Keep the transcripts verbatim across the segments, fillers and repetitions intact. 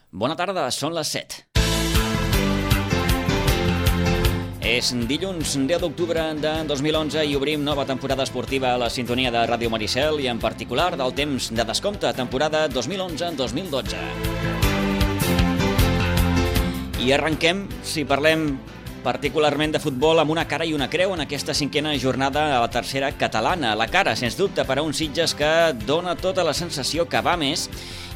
Bona tarda, són les set. És dilluns deu d'octubre de dos mil onze i obrim nova temporada esportiva a la sintonia de Ràdio Maricel i en particular del temps de descompte, temporada dos mil onze dos mil dotze. I arrenquem, si parlem particularment de futbol, amb una cara i una creu en aquesta cinquena jornada a la tercera catalana. La cara, sens dubte, per a un Sitges que dona tota la sensació que va més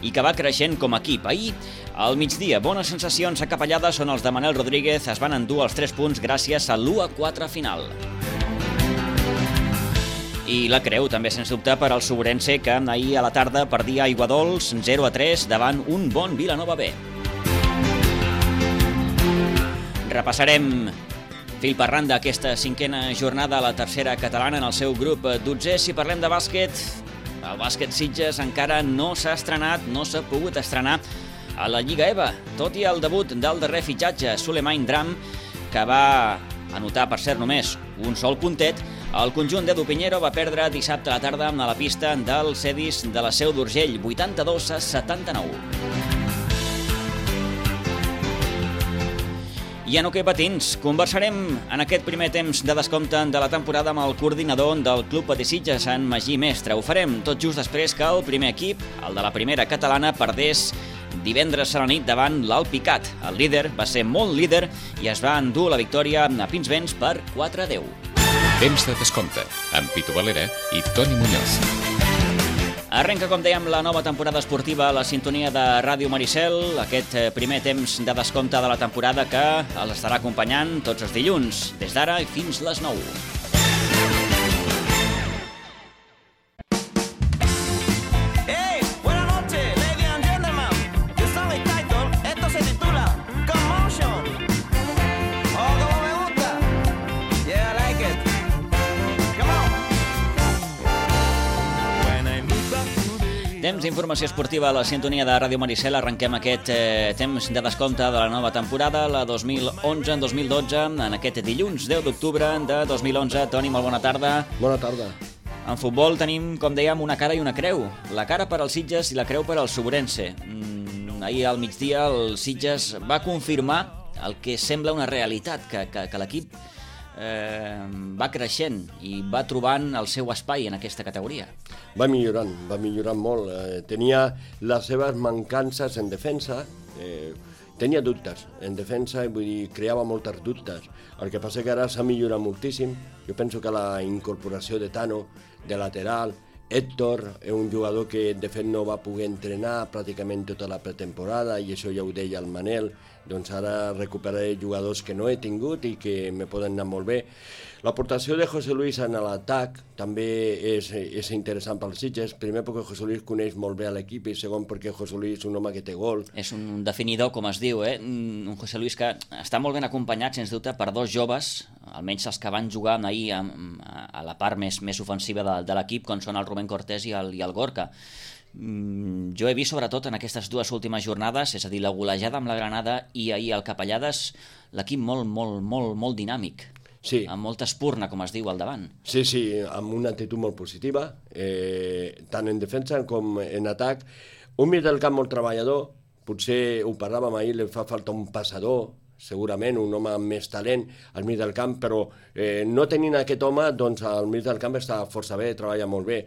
i que va creixent com a equip. Ahir, al migdia, bones sensacions acapellades on els de Manel Rodríguez es van endur els tres punts gràcies a l'u a quatre final. I la creu, també, sens dubte, per al Sobrense, que ahir a la tarda perdia a Aiguadols zero a tres davant un bon Vilanova B. Repassarem fil per randa aquesta cinquena jornada a la tercera catalana en el seu grup dotzè. Si parlem de bàsquet, el bàsquet Sitges encara no s'ha estrenat, no s'ha pogut estrenar a la Lliga E V A, tot i el debut del darrer fitxatge, Souleymane Dram, que va anotar, per cert, només un sol puntet. El conjunt d'Edu Piñero va perdre dissabte a la tarda a la pista del Cedis de la Seu d'Urgell, vuitanta-dos a setanta-nou. I en hoquei patins, conversarem en aquest primer temps de descompte de la temporada amb el coordinador del Club Patí Sitges, en Magí Mestre. Ho farem tot just després que el primer equip, el de la primera catalana, perdés divendres a la nit davant l'Alpicat. El líder va ser molt líder i es va endur la victòria a Pinsbens per quatre a deu. Temps de descompte, amb Pitu Valera i Toni Muñoz. Arrenca, com dèiem, la nova temporada esportiva a la sintonia de Ràdio Maricel, aquest primer temps de descompte de la temporada que els estarà acompanyant tots els dilluns, des d'ara i fins les nou. Temps d'informació esportiva a la sintonia de Ràdio Maricel. Arrenquem aquest eh, temps de descompte de la nova temporada, la dos mil onze dos mil dotze, en aquest dilluns deu d'octubre de dos mil onze. Toni, molt bona tarda. Bona tarda. En futbol tenim, com dèiem, una cara i una creu. La cara per als Sitges i la creu per al Sobrense. Mm, ahir al migdia el Sitges va confirmar el que sembla una realitat, que, que, que l'equip eh, va creixent i va trobant el seu espai en aquesta categoria. Va millorant, va millorant molt. Eh, tenia les seves mancances en defensa, eh, tenia dubtes en defensa, vull dir, creava moltes dubtes. El que passa que ara s'ha millorat moltíssim. Jo penso que la incorporació de Tano, de lateral, Héctor, és un jugador que de fet no va poder entrenar pràcticament tota la pretemporada i això ja ho deia el Manel, doncs ara recuperaré jugadors que no he tingut i que me poden anar molt bé. L'aportació de José Luis en l'atac també és, és interessant pels Sitges, primer perquè José Luis coneix molt bé l'equip i segon perquè José Luis és un home que té gol. És un definidor, com es diu, eh? Un José Luis que està molt ben acompanyat, sens dubte, per dos joves, almenys els que van jugar ahir a, a la part més, més ofensiva de, de l'equip, com són el Rubén Cortés i el, i el Gorka. Mm, jo he vist sobretot en aquestes dues últimes jornades, és a dir, la golejada amb la Granada i ahir el Capellades, l'equip molt, molt, molt, molt dinàmic. Sí. Amb molta espurna, com es diu, al davant. Sí, sí, amb una actitud molt positiva, eh, tant en defensa com en atac. Un mig del camp molt treballador, potser ho parlàvem ahir, li fa falta un passador, segurament un home amb més talent al mig del camp, però eh, no tenint aquest home, doncs al mig del camp està força bé, treballa molt bé.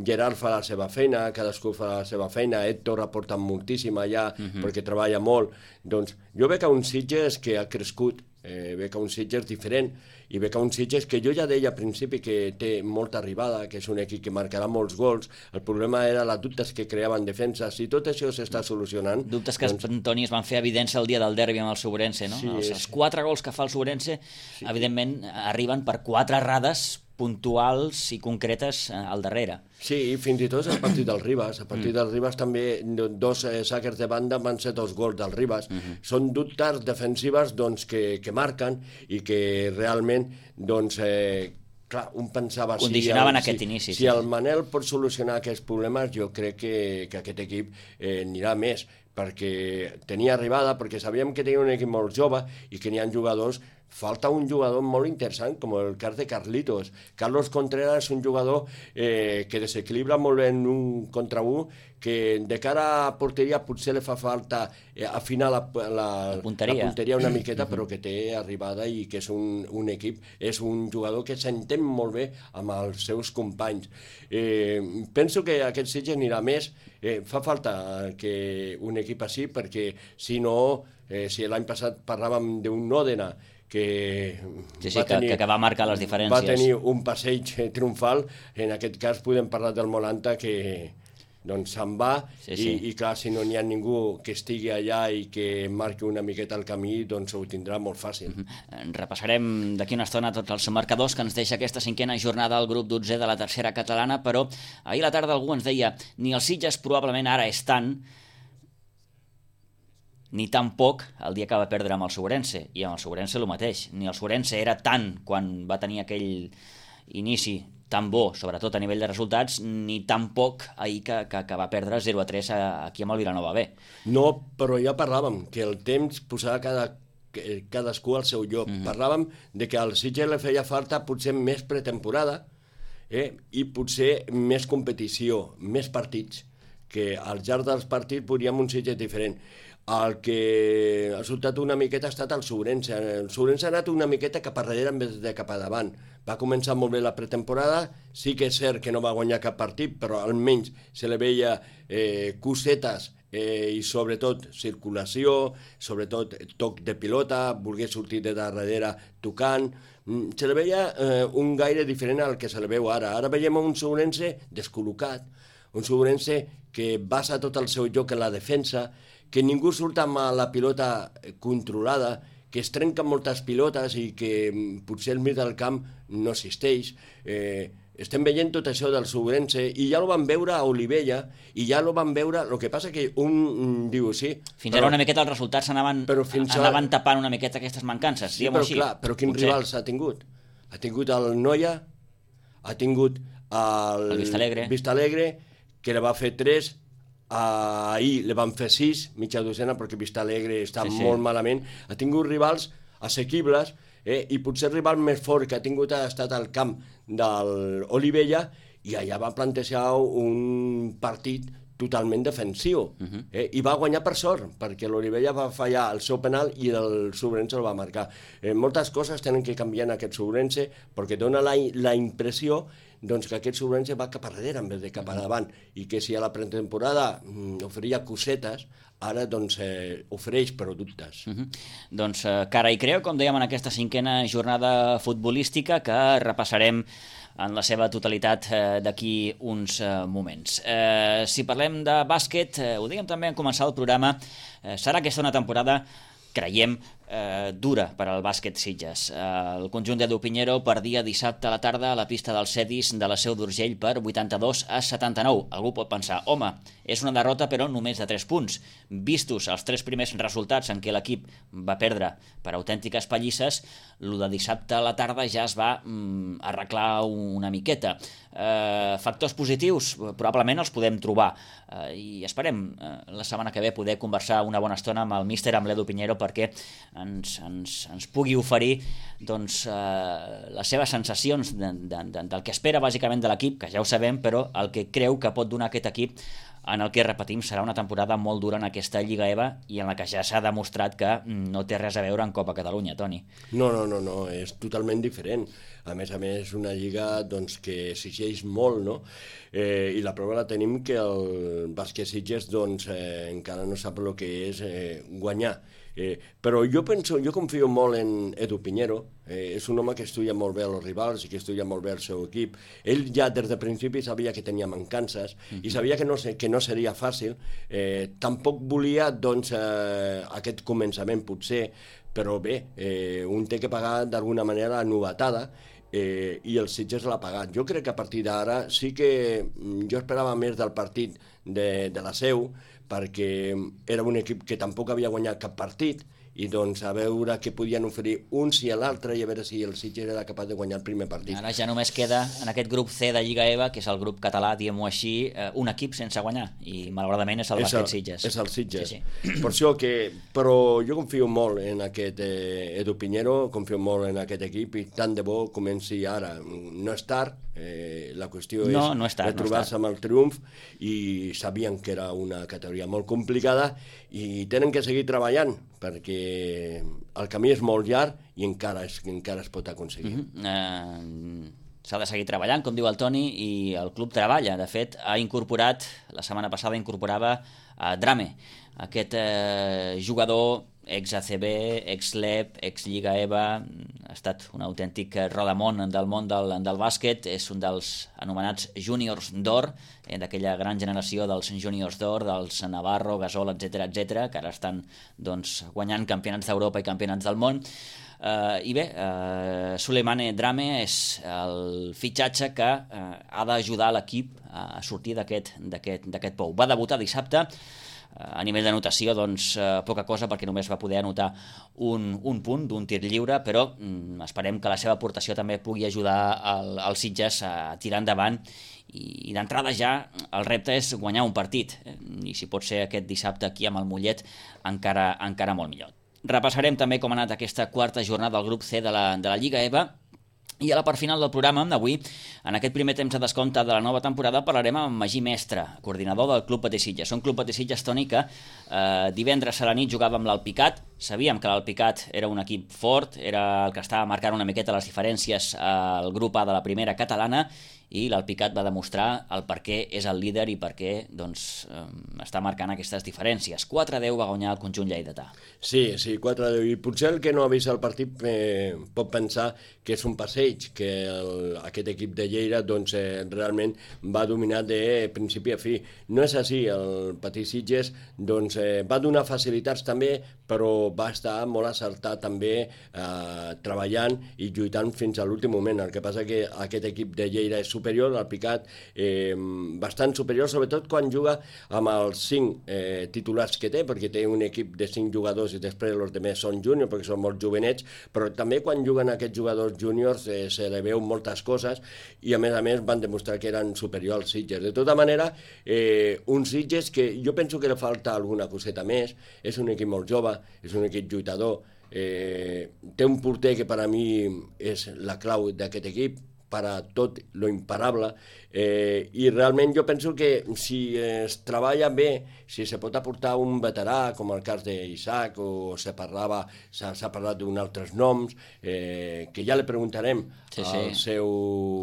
Gerard fa la seva feina, cadascú fa la seva feina, Héctor aporta moltíssim allà uh-huh. perquè treballa molt. Doncs jo veig que un Sitges que ha crescut, eh, veig que un Sitges diferent i veig que un Sitges que jo ja deia al principi que té molta arribada, que és un equip que marcarà molts gols. El problema era les dubtes que creava en defensa. Si tot això s'està solucionant... Dubtes que, doncs... Toni, es van fer evidents el dia del derbi amb el Sobrense, no? Sí, els, és... els quatre gols que fa el Sobrense, sí. Evidentment, arriben per quatre errades puntuals i concretes al darrere. Sí, fins i tot a partir del Ribas. A partir mm. del Ribas també dos eh, saques de banda van ser dos gols del Ribas. Mm-hmm. Són dubtes defensives doncs, que, que marquen i que realment doncs, eh, clar, un pensava... Condicionaven si el, aquest si, inici. Si sí. el Manel pot solucionar aquests problemes, jo crec que, que aquest equip eh, anirà més, perquè tenia arribada, perquè sabíem que tenia un equip molt jove i que n'hi ha jugadors falta un jugador molt interessant, com el cas de Carlitos. Carlos Contreras és un jugador eh, que desequilibra molt bé en un contra un, que de cara a porteria potser li fa falta eh, afinar la, la, la, punteria. la punteria una miqueta, però que té arribada i que és un, un equip, és un jugador que s'entén molt bé amb els seus companys. Eh, penso que aquest Sitges anirà més. Eh, fa falta que un equip així, perquè si no, eh, si l'any passat parlàvem d'un Òdena, que, sí, sí, va tenir, que, que va marcar les diferències. Va tenir un passeig triomfal, en aquest cas podem parlar del Molanta, que doncs se'n va, sí, sí. I, i clar, si no n'hi ha ningú que estigui allà i que marqui una miqueta el camí, doncs ho tindrà molt fàcil. Mm-hmm. Repassarem d'aquí una estona tots els marcadors que ens deixa aquesta cinquena jornada al grup dotzè de la tercera catalana, però ahir a la tarda algú ens deia ni el Sitges probablement ara és tant, ni tampoc el dia que va perdre amb el Sobrense, i amb el Sobrense el mateix, ni el Sobrense era tant quan va tenir aquell inici tan bo, sobretot a nivell de resultats, ni tampoc ahir que, que, que va perdre zero a tres aquí amb el Vilanova B. No, però ja parlàvem que el temps posava cada, cadascú al seu lloc. Mm-hmm. Parlàvem de que al Sitges li feia falta potser més pretemporada eh, i potser més competició, més partits, que al llarg dels partits podríem un Sitges diferent. El que ha resultat una miqueta ha estat el Sobrense. El Sobrense ha anat una miqueta cap a darrere en vez de cap a davant. Va començar molt bé la pretemporada, sí que és cert que no va guanyar cap partit, però almenys se li veia eh, cosetes eh, i sobretot circulació, sobretot toc de pilota, voler sortir de darrere tocant. Se li veia eh, un gaire diferent al que se li veu ara. Ara veiem un Sobrense descol·locat, un Sobrense que basa tot el seu joc en la defensa, que ningú surt amb la pilota controlada, que es trenquen moltes pilotes i que potser el mig del camp no existeix. Eh, estem veient tot això del Sobrense i ja ho vam veure a Olivella i ja ho vam veure, el que passa que un diu sí... Fins però, ara una miqueta els resultats anaven, anaven tapant una miqueta aquestes mancances, sí, però així. Clar, però quins potser rivals ha tingut? Ha tingut el Noia, ha tingut el, el Vistalegre. Vistalegre, que li va fer tres. Uh, ahir li van fer sis, mitja docena, perquè Vistalegre està sí, sí. molt malament. Ha tingut rivals assequibles eh, i potser el rival més fort que ha tingut ha estat al camp de l'Olivella i allà va plantejar un partit totalment defensiu uh-huh. eh, i va guanyar per sort, perquè l'Olivella va fallar el seu penal i el Sobrense el va marcar. Eh, moltes coses tenen que canviar en aquest Sobrense perquè dona la, la impressió doncs que aquest Sobrense va cap a darrere en vez de cap a davant, i que si a la pretemporada mm, oferia cosetes, ara doncs eh, ofereix productes. Uh-huh. Doncs eh, cara i creu, com dèiem en aquesta cinquena jornada futbolística, que repassarem en la seva totalitat eh, d'aquí uns eh, moments. Eh, si parlem de bàsquet, eh, ho dèiem també en començar el programa, eh, serà aquesta una temporada, creiem, eh, dura per al bàsquet Sitges. Eh, el conjunt d'Edu Piñero perdia dissabte a la tarda a la pista del Cedis de la Seu d'Urgell per vuitanta-dos a setanta-nou. Algú pot pensar, home, és una derrota però només de tres punts. Vistos els tres primers resultats en què l'equip va perdre per autèntiques pallisses, el de dissabte a la tarda ja es va mm, arreglar una miqueta. Eh, factors positius, probablement els podem trobar eh, i esperem eh, la setmana que ve poder conversar una bona estona amb el míster, amb l'Edu Piñero, perquè ens, ens, ens pugui oferir doncs, eh, les seves sensacions de, de, de, del que espera bàsicament de l'equip, que ja ho sabem, però el que creu que pot donar aquest equip en el que, repetim, serà una temporada molt dura en aquesta Lliga E V A i en la que ja s'ha demostrat que no té res a veure amb Copa Catalunya, Toni. No, no, no, no, és totalment diferent. A més a més, una lliga doncs, que exigeix molt, no? Eh, I la prova la tenim que el bàsquet Sitges doncs, eh, encara no sap el que és eh, guanyar. Eh, però jo penso, jo confio molt en Edu Piñero, eh, és un home que estudia molt bé els rivals i que estudia molt bé el seu equip. Ell ja des de principi sabia que tenia mancances uh-huh. i sabia que no, que no seria fàcil. Eh, tampoc volia doncs, eh, aquest començament potser, però bé, eh, un té que pagar d'alguna manera la novetada eh, i el Sitges l'ha pagat. Jo crec que a partir d'ara sí que jo esperava més del partit de, de la Seu, perquè era un equip que tampoc havia guanyat cap partit i doncs a veure què podien oferir uns i l'altre i a veure si el Sitges era capaç de guanyar el primer partit. Ara ja només queda en aquest grup C de Lliga E V A, que és el grup català, diguem-ho així, un equip sense guanyar, i malauradament és el Bàsquet Sitges. És el Sitges. Sí, sí. Per això que... Però jo confio molt en aquest eh, Edu Piñero, confio molt en aquest equip i tant de bo comenci ara. No és tard, eh, la qüestió és no, no és tard, de trobar-se no amb el triomf i sabien que era una categoria molt complicada i tenen que seguir treballant perquè el camí és molt llarg i encara es, encara es pot aconseguir. Uh-huh. uh, S'ha de seguir treballant, com diu el Toni, i el club treballa. De fet, ha incorporat, la setmana passada incorporava a Drame, aquest eh, jugador ex-A C B, ex-Lep, ex-Lliga E V A, ha estat un autèntic rodamón del món del, del bàsquet, és un dels anomenats júniors d'or, eh, d'aquella gran generació dels júniors d'or, dels Navarro, Gasol, etcètera, etcètera, que ara estan doncs, guanyant campionats d'Europa i campionats del món. Uh, I bé, uh, Souleymane Drame és el fitxatge que uh, ha d'ajudar l'equip a sortir d'aquest d'aquest pou. Va debutar dissabte. A nivell d'anotació, doncs, eh, poca cosa, perquè només va poder anotar un, un punt d'un tir lliure, però mm, esperem que la seva aportació també pugui ajudar el, el Sitges a tirar endavant i, i d'entrada ja el repte és guanyar un partit, i si pot ser aquest dissabte aquí amb el Mollet encara, encara molt millor. Repassarem també com ha anat aquesta quarta jornada del grup C de la, de la Lliga E V A. I a la part final del programa d'avui, en aquest primer temps de descompte de la nova temporada, parlarem amb Magí Mestre, coordinador del Club Patí Sitges. Un Club Patí Sitges, Toni, que eh, divendres a la nit jugava amb l'Alpicat. Sabíem que l'Alpicat era un equip fort, era el que estava marcant una miqueta les diferències al grup A de la primera catalana, i l'Alpicat va demostrar el per què és el líder i per què doncs, eh, està marcant aquestes diferències. quatre a deu va guanyar el conjunt lleidatà. Sí, sí, quatre a deu. I potser el que no ha vist el partit eh, pot pensar que és un passeig, que el, aquest equip de Lleida doncs, eh, realment va dominar de principi a fi. No és així, el Patí Sitges doncs, eh, va donar facilitats també, però va estar molt acertat també eh, treballant i lluitant fins a l'últim moment. El que passa que aquest equip de Lleida és superior, el Picat eh, bastant superior, sobretot quan juga amb els cinc eh, titulars que té, perquè té un equip de cinc jugadors i després els altres són júniors, perquè són molt jovenets, però també quan juguen aquests jugadors júniors eh, se li veu moltes coses i a més a més van demostrar que eren superiors als Sitges. De tota manera, eh, un Sitges que jo penso que li falta alguna coseta més, és un equip molt jove, és un equip lluitador, eh, té un porter que per a mi és la clau d'aquest equip, per a tot lo imparable, eh, i realment jo penso que si es treballa bé, si se pot aportar un veterà, com el cas d'Isaac, o se parlava, s'ha parlat d'uns altres noms, eh, que ja li preguntarem sí, sí. al seu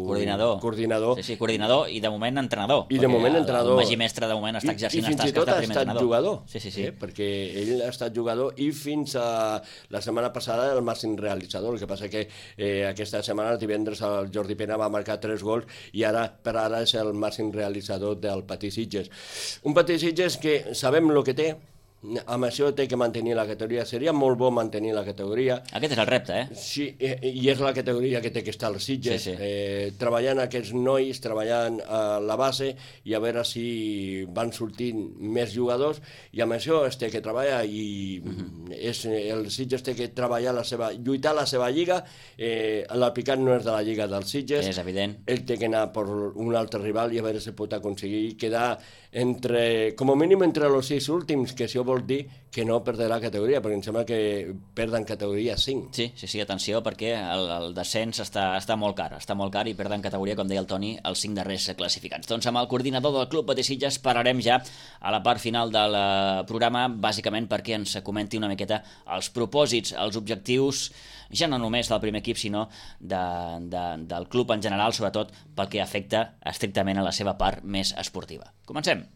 coordinador. coordinador. Sí, sí, coordinador i de moment entrenador. I de moment entrenador. El Magí Mestre de moment està exercint les tasques de primer entrenador. I fins i tot ha estat jugador, sí, sí, sí. Eh, perquè ell ha estat jugador i fins a la setmana passada el màxim realitzador. El que passa que eh, aquesta setmana, el divendres, el Jordi Pena va marcar tres gols i ara per ara és el màxim realitzador del Patí Sitges. Un Patí Sitges que sabem el que té, amb això té que mantenir la categoria. Seria molt bo mantenir la categoria. Aquest és el repte, eh? Sí, i és la categoria que té que estar als Sitges. Sí, sí. Eh, treballant aquests nois, treballant a la base i a veure si van sortint més jugadors, i amb això es té que treballar i uh-huh. és, el Sitges té que treballar la seva, lluitar la seva lliga. Eh, l'Alpicat no és de la lliga dels Sitges. És evident. Ell té que anar per un altre rival i a veure si pot aconseguir quedar entre, com a mínim entre els sis últims, que això vol dir que no perdrà categoria, perquè em sembla que perden categoria cinc. Sí, sí, sí, atenció, perquè el, el descens està, està molt car, està molt car i perden categoria, com deia el Toni, els cinc darrers classificats. Doncs amb el coordinador del Club Patí Sitges parlarem ja a la part final del programa, bàsicament perquè ens comenti una miqueta els propòsits, els objectius, ja no només del primer equip, sinó de, de, del club en general, sobretot pel que afecta estrictament a la seva part més esportiva. Comencem.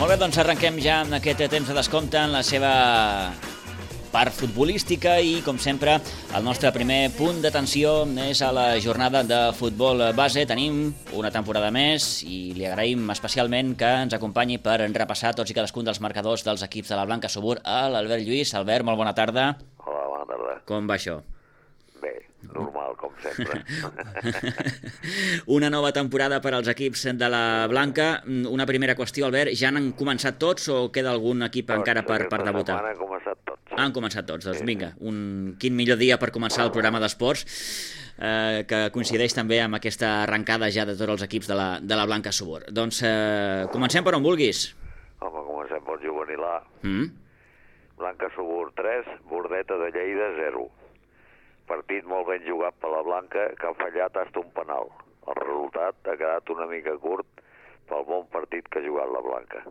Molt bé, doncs arrenquem ja amb aquest temps de descompte en la seva part futbolística i, com sempre, el nostre primer punt d'atenció és a la jornada de futbol base. Tenim una temporada més i li agraïm especialment que ens acompanyi per repassar tots i cadascun dels marcadors dels equips de la Blanca Subur a l'Albert Lluís. Albert, molt bona tarda. Hola, bona tarda. Com va això? Bé, normal, com sempre. Una nova temporada per als equips de la Blanca. Una primera qüestió, Albert, ja han començat tots o queda algun equip doncs, encara per, per debutar? Han començat tots. Han començat tots, doncs vinga. Un, quin millor dia per començar el programa d'esports, eh, que coincideix també amb aquesta arrencada ja de tots els equips de la, de la Blanca Subur. Doncs eh, comencem per on vulguis. Home, comencem pel juvenil A. Mm. Blanca Subur tres, Bordeta de Lleida zero. Partit molt ben jugat per la Blanca, que ha fallat hasta un penal. El resultat ha quedat una mica curt pel bon partit que ha jugat la Blanca.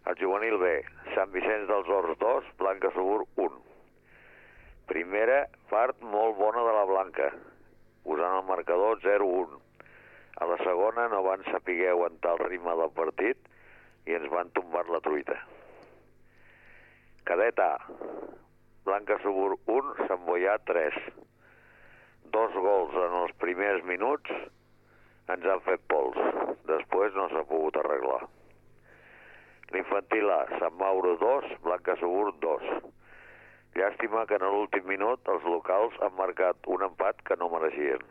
El juvenil B, Sant Vicenç dels Horts dos, Blanca Subur un. Primera part molt bona de la Blanca, posant el marcador zero un. A la segona no van saber aguantar el ritme del partit i ens van tombar la truita. Cadet A, Blanca Subur un, Sant Boià tres. Dos gols en els primers minuts ens han fet pols. Després no s'ha pogut arreglar. L'infantil A, Sant Mauro dos, Blanca Subur dos. Llàstima que en l'últim minut els locals han marcat un empat que no mereixien.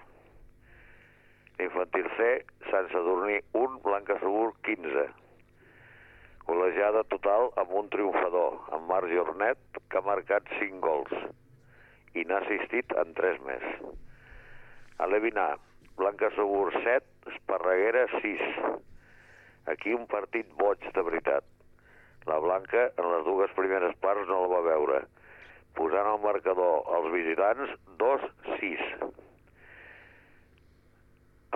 L'infantil C, Sant Sadurní un, Blanca Subur quinze. Col·legiada total amb un triomfador, en Marc Jornet, que ha marcat cinc gols i n'ha assistit en tres més. A l'Evin A, Blanca Subur set, Esparreguera sis. Aquí un partit boig de veritat. La Blanca en les dues primeres parts no la va veure, posant el marcador als visitants dos sis.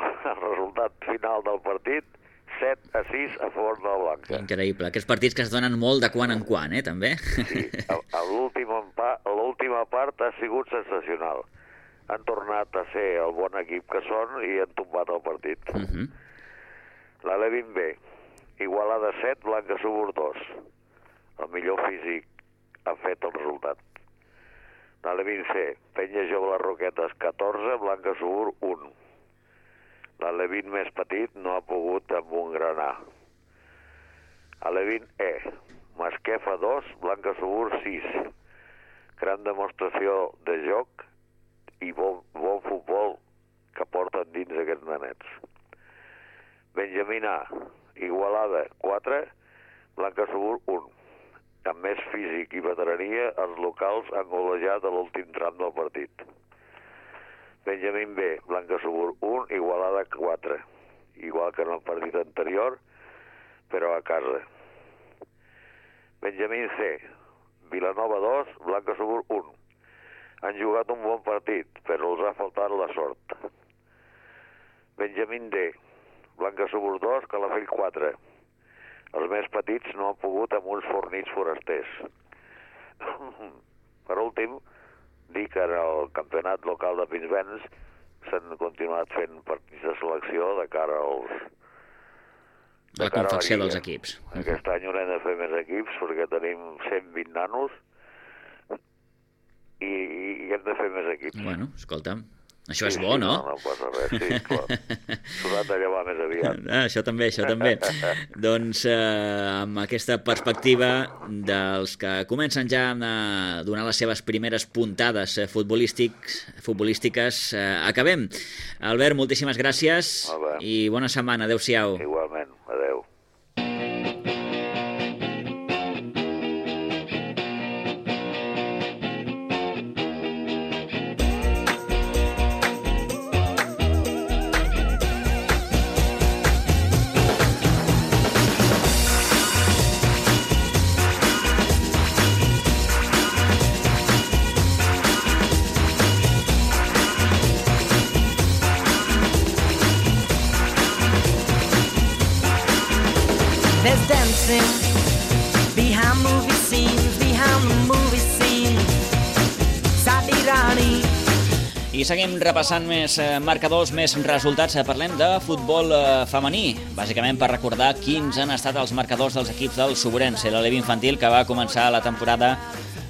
El resultat final del partit set a sis a favor de la Blanca. Increïble. Aquests partits que es donen molt de quan en quan, eh, també? Sí, l'última part ha sigut sensacional. Han tornat a ser el bon equip que són i han tombat el partit. Uh -huh. La Levin B, Igualada set, Blanca Subur dos. El millor físic ha fet el resultat. La Levin C, Penya Jove les Roquetes catorze, Blanca Subur un. L'Alevin més petit no ha pogut amb un gran A. Alevin E, Masquefa dos, Blanca Subur sis. Gran demostració de joc i bon, bon futbol que porten dins aquests nanets. Benjamín A, Igualada quatre, Blanca Subur un. Amb més físic i veterania, els locals han golejat a l'últim tram del partit. Benjamín B, Blanca Subur un, Igualada quatre. Igual que en el partit anterior, però a casa. Benjamín C, Vilanova dos, Blanca Subur un. Han jugat un bon partit, però els ha faltat la sort. Benjamín D, Blanca Subur dos, Calafell quatre. Els més petits no han pogut amb uns fornits forasters. Per últim, dir que en el campionat local de Pinsbens s'han continuat fent partits de selecció de cara als... De la confecció dels equips. Aquest any haurem de fer més equips perquè tenim cent vint nanos i, i hem de fer més equips. Bueno, escolta'm, això sí, és bo, sí, no? No, no passa res, sí, clar. S'haurà de llevar més aviat. Ah, això també, això també. Doncs eh, amb aquesta perspectiva dels que comencen ja a donar les seves primeres puntades futbolístics, futbolístiques, eh, acabem. Albert, moltíssimes gràcies i bona setmana. Adéu-siau. Igualment, adéu. There's dancing behind movie scenes, behind the movie scene. Sadi Rani. I seguim repassant més marcadors, més resultats. Parlem de futbol femení, bàsicament per recordar quins han estat els marcadors dels equips del Suburense, l'Alevi infantil, que va començar la temporada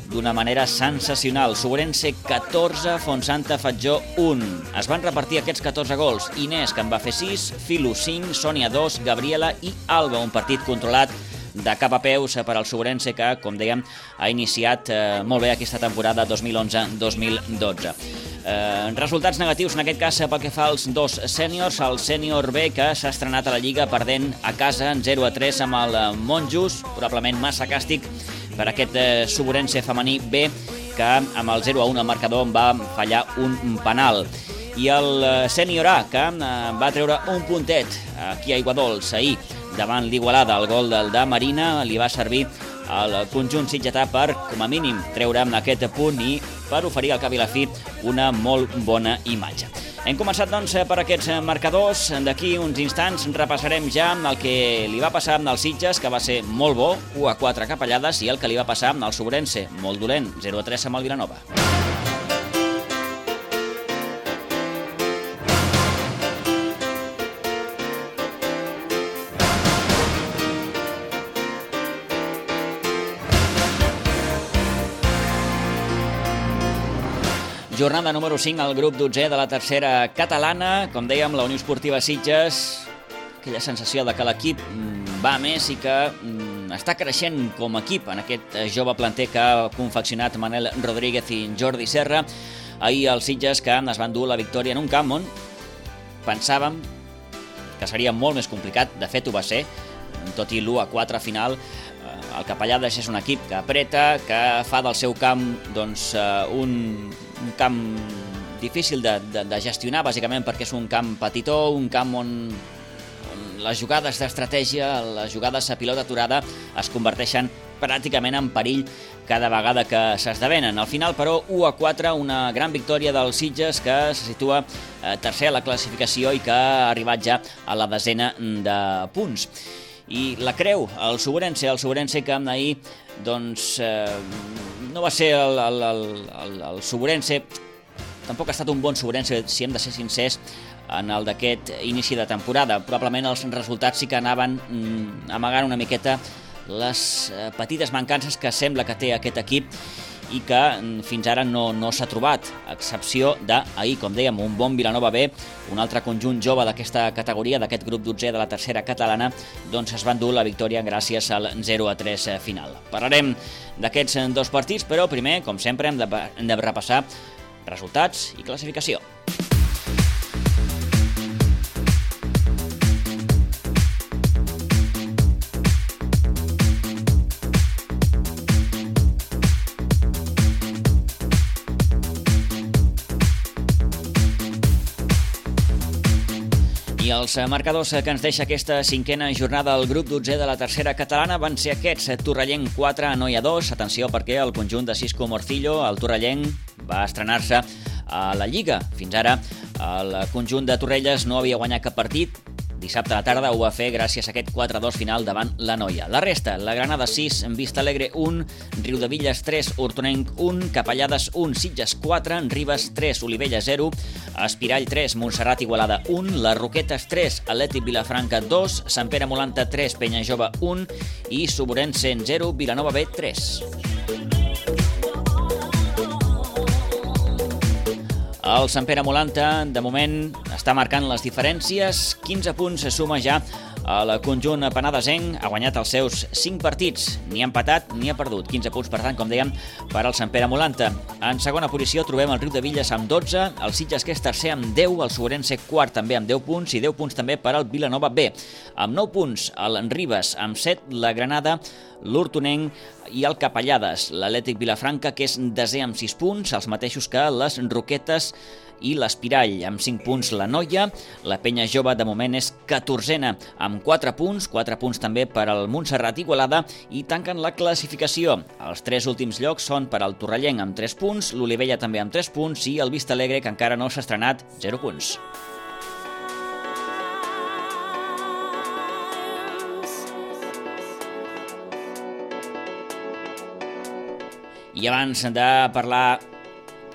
d'una manera sensacional. Sobrense catorze, Fontsanta Fatjó un. Es van repartir aquests catorze gols. Inés, que en va fer sis, Filu cinc, Sònia dos, Gabriela i Alba. Un partit controlat de cap a peus per al Sobrense que, com dèiem, ha iniciat eh, molt bé aquesta temporada dos mil onze dos mil dotze. Eh, resultats negatius en aquest cas pel que fa als dos sèniors. El sènior B, que s'ha estrenat a la Lliga perdent a casa en zero a tres amb el Monjos, probablement massa càstig per aquest eh, Sobrense femení B, que amb el zero a un al marcador va fallar un penal. I el sènior A, que eh, va treure un puntet aquí a Aiguadols ahir davant l'Igualada. El gol del de Marina li va servir al conjunt sitgetà per, com a mínim, treure aquest punt i per oferir al cap i la fi una molt bona imatge. Hem començat, doncs, per aquests marcadors. D'aquí uns instants repassarem ja el que li va passar als Sitges, que va ser molt bo, u a quatre capellades, i el que li va passar al Sobrense, molt dolent, zero a tres amb el Vilanova. Jornada número cinc al grup dotzè de la tercera catalana. Com dèiem, la Unió Esportiva Sitges, aquella sensació de que l'equip va més i que està creixent com a equip en aquest jove planter que ha confeccionat Manel Rodríguez i Jordi Serra. Ahir els Sitges, que es van dur la victòria en un camp on pensàvem que seria molt més complicat. De fet, ho va ser, tot i l'u a quatre final. El Capellades és un equip que apreta, que fa del seu camp doncs, un, un camp difícil de, de, de gestionar, bàsicament perquè és un camp petitó, un camp on, on les jugades d'estratègia, les jugades a pilota aturada es converteixen pràcticament en perill cada vegada que s'esdevenen. Al final, però, u a quatre, una gran victòria dels Sitges, que se situa tercer a la classificació i que ha arribat ja a la desena de punts. I la creu, el Sobrense, el Sobrense que ahir doncs, eh, no va ser el, el, el, el, el Sobrense, tampoc ha estat un bon Sobrense, si hem de ser sincers, en el d'aquest inici de temporada. Probablement els resultats sí que anaven mm, amagant una miqueta les eh, petites mancances que sembla que té aquest equip i que mm, fins ara no, no s'ha trobat, a excepció d'ahir, com dèiem, un bon Vilanova B, un altre conjunt jove d'aquesta categoria, d'aquest grup dotzè de la tercera catalana, doncs es van dur la victòria gràcies al zero a tres final. Parlarem d'aquests dos partits, però primer, com sempre, hem de, hem de repassar resultats i classificació. I els marcadors que ens deixa aquesta cinquena jornada al grup dotzè de la tercera catalana van ser aquests: Torrellenc quatre, Anoia dos. Atenció, perquè el conjunt de Cisco Morcillo, el Torrellenc, va estrenar-se a la Lliga. Fins ara el conjunt de Torrelles no havia guanyat cap partit. Dissabte a la tarda ho va fer gràcies a aquest quatre a dos final davant la Noia. La resta: la Granada sis, Vista Alegre un, Riudevilles tres, Hortonenc un, Capellades un, Sitges quatre, Ribes tres, Olivella zero, Espirall tres, Montserrat Igualada un, Les Roquetes tres, Atlètic Vilafranca dos, Sant Pere Molanta tres, Penyajove un i Sobrense zero, Vilanova B tres. El Sant Pere Molanta, de moment, està marcant les diferències. quinze punts se suma ja el conjunt penadesenc. Ha guanyat els seus cinc partits. Ni ha empatat ni ha perdut. quinze punts, per tant, com dèiem, per al Sant Pere Molanta. En segona posició trobem el Riudevilles amb dotze, el Sitges, que és tercer, amb deu, el Sobrense quart també amb deu punts i deu punts també per al Vilanova B. Amb nou punts el Ribes, amb set la Granada, l'Hortonenc i el Capellades. L'Atlètic Vilafranca, que és desè amb sis punts, els mateixos que les Roquetes i l'Espirall. Amb cinc punts la Noia, la Penya Jove de moment és catorzena amb quatre punts, quatre punts també per al Montserrat Igualada i tanquen la classificació. Els tres últims llocs són per al Torrellenc amb tres punts, l'Olivella també amb tres punts i el Vista Alegre, que encara no s'ha estrenat, zero punts. I abans de parlar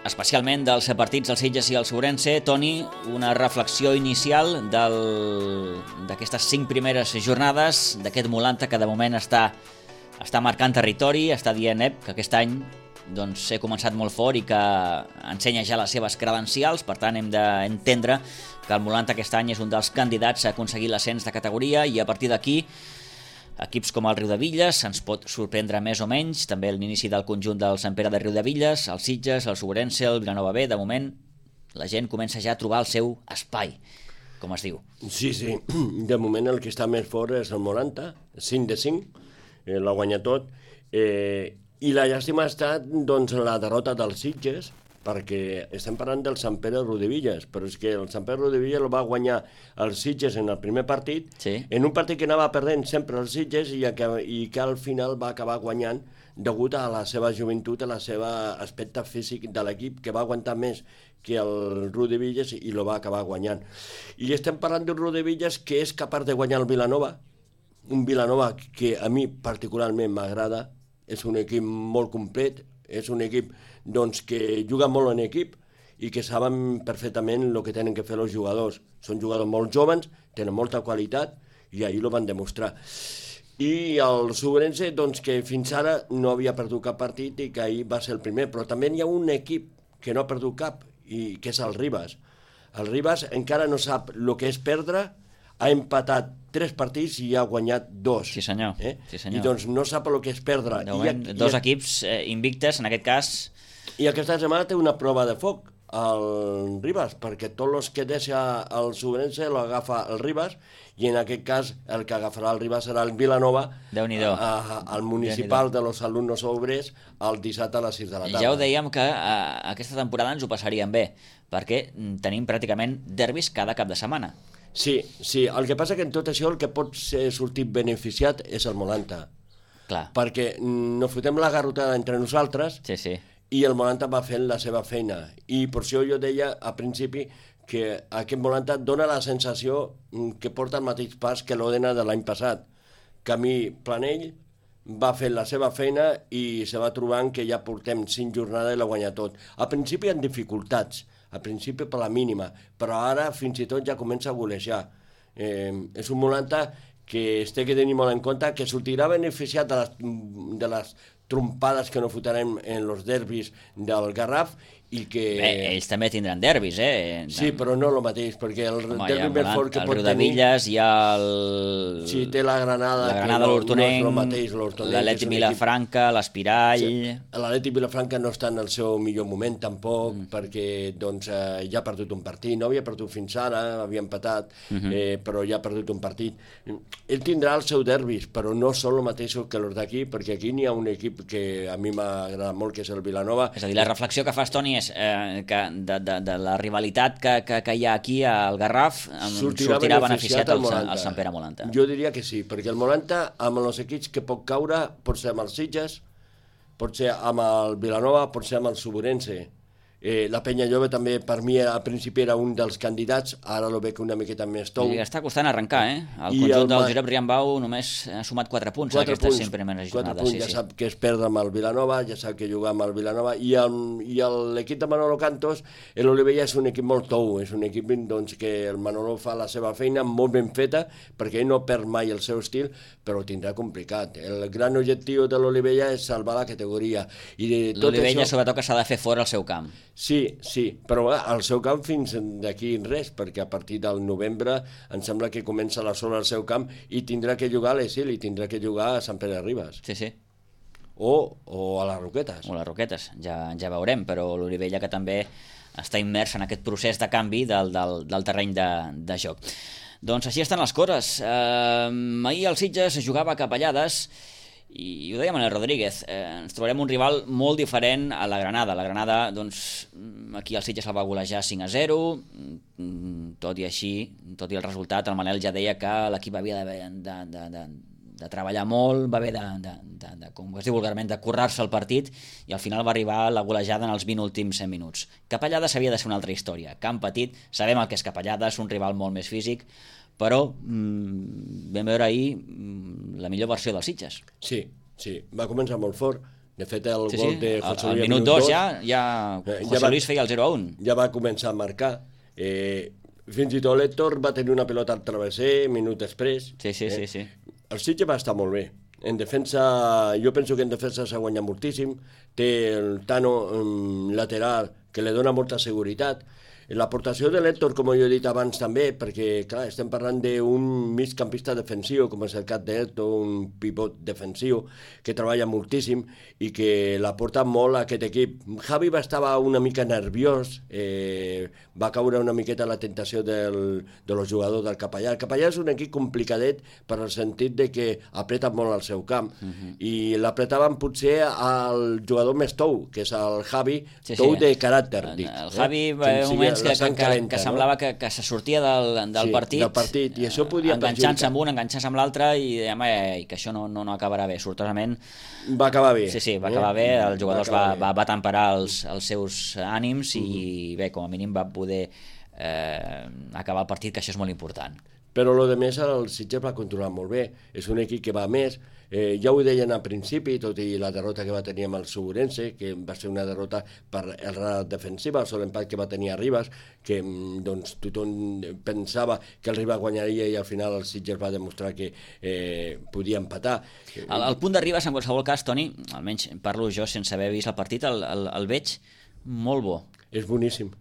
especialment dels partits del Sitges i el Sobrense, Toni, una reflexió inicial del... d'aquestes cinc primeres jornades, d'aquest Molanta que de moment està, està marcant territori, està dient eh, que aquest any doncs, ser començat molt fort i que ensenya ja les seves credencials, per tant hem d'entendre que el Molanta aquest any és un dels candidats a aconseguir l'ascens de categoria i a partir d'aquí equips com el Riudebitlles ens pot sorprendre més o menys, també l'inici del conjunt del Sant Pere de Riudebitlles, el Sitges, el Sobrense, el Vilanova B, de moment la gent comença ja a trobar el seu espai, com es diu. Sí, sí, de moment el que està més fort és el Molanta, cinc de cinc, eh, l'ha guanyat tot, eh, i la llàstima ha estat doncs, la derrota dels Sitges, perquè estem parlant del Sant Pere de Riudebitlles, però és que el Sant Pere de Riudebitlles el va guanyar els Sitges en el primer partit, sí. En un partit que anava perdent sempre els Sitges i que, i que al final va acabar guanyant degut a la seva joventut, a la seva aspecte físic de l'equip, que va aguantar més que el Riudebitlles i lo va acabar guanyant. I estem parlant d'un Riudebitlles que és capaç de guanyar el Vilanova, un Vilanova que a mi particularment m'agrada, és un equip molt complet, és un equip doncs, que juga molt en equip i que saben perfectament el que tenen que fer els jugadors. Són jugadors molt joves, tenen molta qualitat i ahir ho van demostrar. I el Sobrense, doncs, que fins ara no havia perdut cap partit i que ahir va ser el primer, però també hi ha un equip que no ha perdut cap, i que és el Ribas. El Ribas encara no sap el que és perdre, ha empatat tres partits i ha guanyat dos. Sí senyor, eh? sí senyor. I doncs no sap el que és perdre. De moment, I, dos i, equips eh, invictes, en aquest cas. I aquesta setmana té una prova de foc, el Ribas, perquè tots els que deixa el Sobrense l'agafa el Ribas, i en aquest cas el que agafarà el Ribas serà el Vilanova, al municipal de los alumnos obrers, el dissabte a les sis de la tarda. Ja ho dèiem que a, aquesta temporada ens ho passaríem bé, perquè tenim pràcticament derbis cada cap de setmana. Sí, sí, el que passa que en tot això el que pot ser sortit beneficiat és el Molanta. Clar. Perquè no fotem la garrotada entre nosaltres, sí, sí. I el Molanta va fent la seva feina. I per això jo deia a principi que aquest Molanta dona la sensació que porta el mateix pas que l'Òdena de l'any passat. Camí Planell va fent la seva feina i se va trobant que ja portem cinc jornades i la guanya tot. Al principi hi ha dificultats, al principi per la mínima, però ara fins i tot ja comença a golejar. Eh, és un Molanta que es té que tenir molt en compte, que sortirà beneficiat de les, de les trompades que no fotrem en els derbis del Garraf i que... Bé, ells també tindran derbis, eh? Sí, però no el mateix, perquè el Home, derbi més fort que pot tenir... El Riudebitlles, hi ha el... Sí, té la Granada, la Granada, l'Hortonenc, no l'Atlètic Vilafranca, l'Espirall... Sí. L'Atlètic Vilafranca no està en el seu millor moment tampoc, mm. perquè doncs, eh, ja ha perdut un partit, no havia perdut fins ara, havia empatat, mm -hmm. eh, però ja ha perdut un partit. Ell tindrà els seus derbis, però no són el mateix que els d'aquí, perquè aquí n'hi ha un equip que a mi m'agrada molt, que és el Vilanova. És a dir, la reflexió que fas, Toni, és eh, que de, de, de la rivalitat que, que, que hi ha aquí al Garraf sortirà, sortirà beneficiat el, el Sant Pere Molanta. Jo diria que sí, perquè el Molanta, amb els equips que pot caure, pot ser amb els Sitges, pot ser amb el Vilanova, pot ser amb el Sobrense. Eh, la Penya Jove també per mi al principi era un dels candidats, ara lo veig una miqueta més tou. I està costant arrencar, eh? El I conjunt el... del Josep Riambau només ha sumat quatre punts en aquestes cinc primeres jornades. Punts, sí, ja sí. sap que és perdre amb el Vilanova, ja sap que jugar amb el Vilanova, i l'equip de Manolo Cantos, l'Olivella és un equip molt tou, és un equip doncs, que el Manolo fa la seva feina molt ben feta, perquè ell no perd mai el seu estil, però ho tindrà complicat. El gran objectiu de l'Olivella és salvar la categoria. L'Olivella això... sobretot que s'ha de fer fora al seu camp. Sí, sí, però al seu camp fins d'aquí res, perquè a partir del novembre em sembla que comença la sola al seu camp i tindrà que jugar a l'Esil i tindrà que jugar a Sant Pere de Ribes. Sí, sí. O, o a les Roquetes. O a les Roquetes, ja, ja veurem, però l'Olivella que també està immers en aquest procés de canvi del, del, del terreny de, de joc. Doncs així estan les coses. Eh, ahir el Sitges jugava a Capellades i ho deia Manel Rodríguez, eh, ens trobarem un rival molt diferent a la Granada. La Granada, doncs, aquí el Sitges el va golejar cinc a zero, tot i així, tot i el resultat, el Manel ja deia que l'equip havia de, de, de, de, de treballar molt, va haver de, de, de, de, com es diu vulgarment, de currar-se el partit, i al final va arribar la golejada en els vint últims cent minuts. Capellades havia de ser una altra història. Camp petit, sabem el que és Capellades, un rival molt més físic, però mmm, vam veure ahir mmm, la millor versió dels Sitges. Sí, sí, va començar molt fort. De fet, el sí, gol sí. de José Luis... Al minut dos ja, ja José ja Luis feia el zero a un. Ja va començar a marcar. Eh, fins i tot l'Héctor va tenir una pelota al travesser, minut després. Sí, sí, eh. sí, sí. El Sitges va estar molt bé. en defensa, jo penso que en defensa s'ha guanyat moltíssim, té el Tano um, lateral que li dona molta seguretat. L'aportació de l'Héctor, com jo he dit abans també, perquè clar, estem parlant d'un migcampista defensiu, com és el cas d'Héctor, un pivot defensiu, que treballa moltíssim i que l'aporta molt a aquest equip. Javi va estar una mica nerviós, eh, va caure una miqueta la tentació del, de los jugadors del Capellà. El Capellà és un equip complicadet per al sentit de que apreta molt al seu camp, uh-huh. i l'apretaven potser al jugador més tou, que és el Javi, sí, tou sí. de caràcter, dic. El Javi eh? va haver moments que, que, calenta, que semblava no? que, que se sortia del, del, sí, partit, del partit, i això podia enganxant-se amb un, enganxant-se amb l'altre, i, i que això no, no, no acabarà bé. Sortosament va acabar bé. Sí, sí, va acabar eh? bé, els jugadors va, va, va, va temperar els, els seus ànims, i mm. bé, com a mínim va poder eh, acabar el partit, que això és molt important. Però el de més, el Sitges va controlar molt bé, és un equip que va més, eh, ja ho deien al principi, tot i la derrota que va tenir amb el Segurense, que va ser una derrota per errada defensiva, el sol empat que va tenir a Ribas, que doncs, tothom pensava que el Ribas guanyaria i al final el Sitges va demostrar que eh, podia empatar. El, el punt de Ribas, en qualsevol cas, Toni, almenys parlo jo sense haver vist el partit, el, el, el veig molt bo. És boníssim.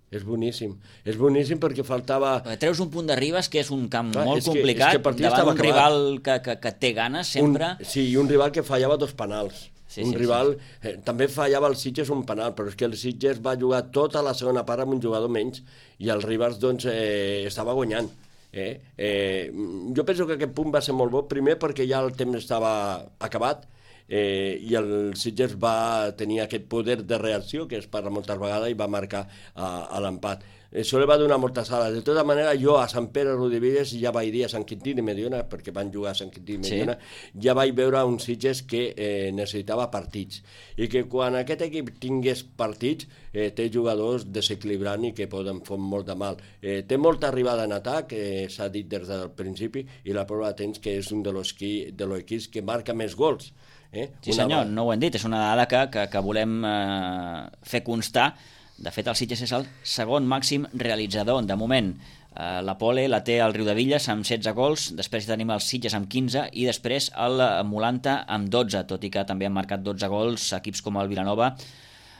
És boníssim, és boníssim perquè faltava... Treus un punt de Ribas, que és un camp Clar, molt és que, complicat, és que davant un rival que, que, que té ganes sempre. Un, sí, i un rival que fallava dos penals. Sí, un sí, rival... Sí. Eh, també fallava el Sitges un penal, però és que el Sitges va jugar tota la segona part amb un jugador menys i el Ribas doncs, eh, estava guanyant. Eh? Eh, jo penso que aquest punt va ser molt bo, primer perquè ja el temps estava acabat, Eh, i el Sitges va tenir aquest poder de reacció que es parla moltes vegades i va marcar uh, a l'empat. Això li va donar moltes ales. De tota manera, jo a Sant Pere Rodalies ja vaig dir a Sant Quintí de Mediona, perquè van jugar a Sant Quintí de Mediona, sí. ja vaig veure un Sitges que eh, necessitava partits i que quan aquest equip tingués partits eh, té jugadors desequilibrant i que poden fer molt de mal. Eh, té molta arribada en atac, eh, s'ha dit des del principi, i la prova tens que és un de los equips que marca més gols. Eh? Sí senyor, no ho hem dit, és una dada que, que, que volem eh, fer constar. De fet, el Sitges és el segon màxim realitzador. De moment, eh, la Pole la té el Riudevilles amb setze gols, després tenim el Sitges amb quinze i després el Molanta amb dotze, tot i que també han marcat dotze gols equips com el Vilanova,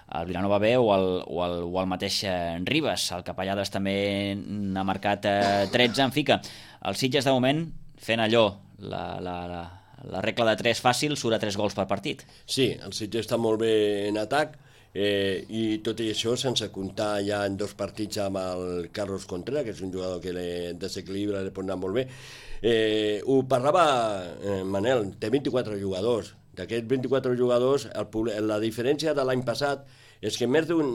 el Vilanova B o el, o el, o el mateix Ribas. El Capellades també n'ha marcat eh, tretze. En fi que el Sitges de moment fent allò, la... la, la la regla de tres fàcil, surt a tres gols per partit. Sí, el Sitges està molt bé en atac, eh, i tot i això sense comptar ja en dos partits amb el Carlos Contreras, que és un jugador que le desequilibra, li pot anar molt bé. Eh, ho parlava eh, Manel, té vint-i-quatre jugadors. D'aquests vint-i-quatre jugadors, el, la diferència de l'any passat és que més d'un...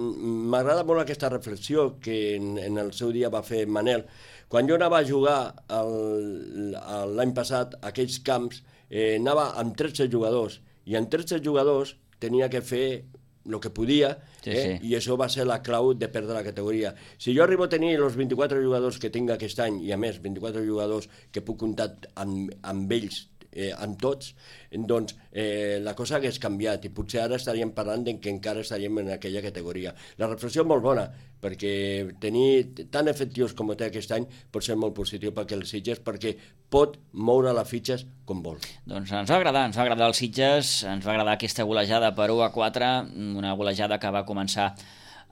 M'agrada molt aquesta reflexió que en, en el seu dia va fer Manel. Quan jo anava a jugar l'any passat a aquells camps, eh, anava amb tretze jugadors, i amb tretze jugadors tenia que fer el que podia, sí, eh? sí. i això va ser la clau de perdre la categoria. Si jo arribo a tenir els vint-i-quatre jugadors que tinc aquest any, i a més vint-i-quatre jugadors que puc comptar amb, amb ells, eh, amb tots, doncs eh, la cosa hagués canviat i potser ara estaríem parlant que encara estaríem en aquella categoria. La reflexió és molt bona, perquè tenir tan efectius com té aquest any pot ser molt positiu perquè el Sitges, perquè pot moure les fitxes com vol. Doncs ens va agradar, ens va agradar el Sitges, ens va agradar aquesta golejada per u a quatre, una golejada que va començar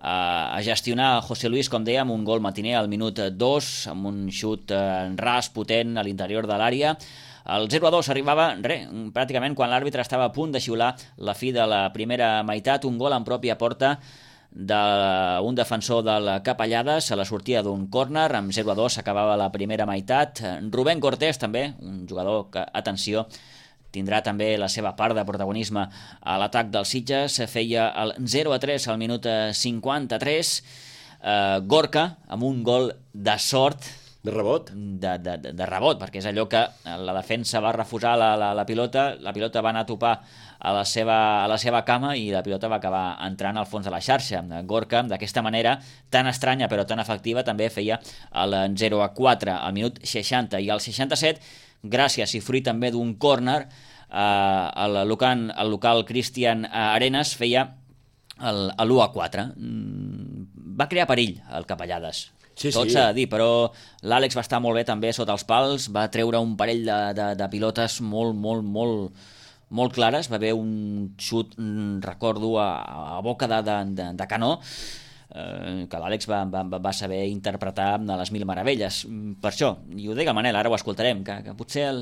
a gestionar José Luis, com dèiem, un gol matiner al minut dos, amb un xut ras, potent a l'interior de l'àrea. El zero a dos arribava, re, pràcticament quan l'àrbitre estava a punt de xiular la fi de la primera meitat, un gol en pròpia porta d'un defensor del Capellades a la sortida d'un córner. Amb zero a dos s'acabava la primera meitat. Rubén Cortés també, un jugador que, atenció, tindrà també la seva part de protagonisme a l'atac del Sitges, feia el zero a tres al minut cinquanta-tres. eh, Gorka amb un gol de sort, de rebot? De, de, de rebot, perquè és allò que la defensa va refusar la, la, la pilota, la pilota va anar a topar a la, seva, a la seva cama i la pilota va acabar entrant al fons de la xarxa. Gorka, d'aquesta manera tan estranya però tan efectiva, també feia el zero a quatre al minut seixanta, i al seixanta-set, gràcies i fruit també d'un córner, eh, el, local, el local Cristian Arenas feia l'u a quatre. Va crear perill el Capellades. Sí, tot sí. s'ha de dir, però l'Àlex va estar molt bé també sota els pals, va treure un parell de, de, de pilotes molt, molt, molt, molt clares, va haver un xut, recordo, a, a boca de, de, de, de canó, eh, que l'Àlex va, va, va saber interpretar de les mil meravelles. Per això, i ho dic el Manel, ara ho escoltarem, que, que potser el,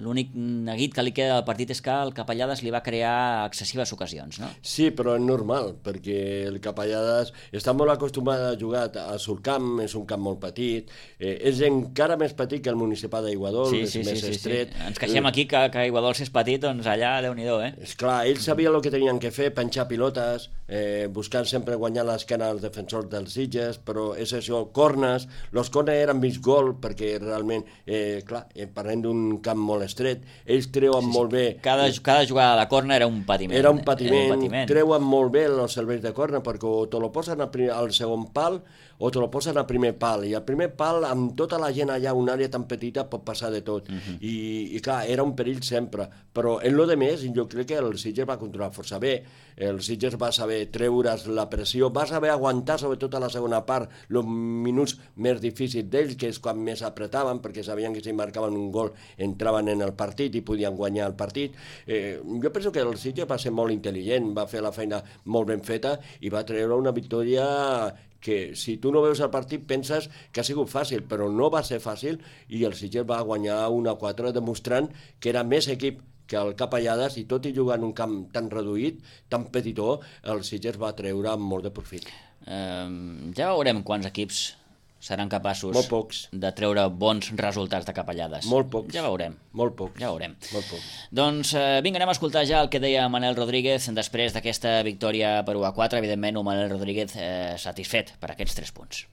l'únic neguit que li queda del partit és que el Capellades li va crear excessives ocasions, no? Sí, però és normal, perquè el Capellades està molt acostumat a jugar a Surcamp, és un camp molt petit, eh, és encara més petit que el municipal d'Aiguadols, sí, és sí, més sí, sí, estret. Sí. Ens queixem aquí que, que Aiguadols és petit, doncs allà, Déu-n'hi-do, eh? És clar, ells sabien el que tenien que fer, penjar pilotes, eh, buscant sempre guanyar l'esquena als defensors dels Sitges, però és això, cornes, els cornes eren mig gol, perquè realment, eh, clar, eh, parlem d'un camp molt estret, ells treuen sí, sí. molt bé... Cada, cada jugada de corna era un patiment. Era un patiment, era un patiment. Treuen molt bé els serveis de corna, perquè o te lo posen al, primer, al segon pal o te lo posen al primer pal, i al primer pal, amb tota la gent allà, una àrea tan petita, pot passar de tot, uh -huh. I, i clar, era un perill sempre, però en lo de més, jo crec que el Sitges va controlar força bé, el Sitges va saber treure's la pressió, va saber aguantar sobretot a la segona part els minuts més difícils d'ells, que és quan més apretaven, perquè sabien que si marcaven un gol entraven en el partit i podien guanyar el partit. Eh, jo penso que el Sitges va ser molt intel·ligent, va fer la feina molt ben feta i va treure una victòria que si tu no veus el partit penses que ha sigut fàcil, però no va ser fàcil i el Sitges va guanyar un a quatre demostrant que era més equip que el Capellades i tot i jugar en un camp tan reduït, tan petitó, el Sitges va treure molt de profit. Uh, ja veurem quants equips seran capaços molt pocs. de treure bons resultats de Capellades. Molt pocs. Ja veurem. Molt pocs. Ja veurem. Molt pocs. Doncs eh, vinga, anem a escoltar ja el que deia Manel Rodríguez després d'aquesta victòria per u a quatre. Evidentment, un Manel Rodríguez eh, satisfet per aquests tres punts.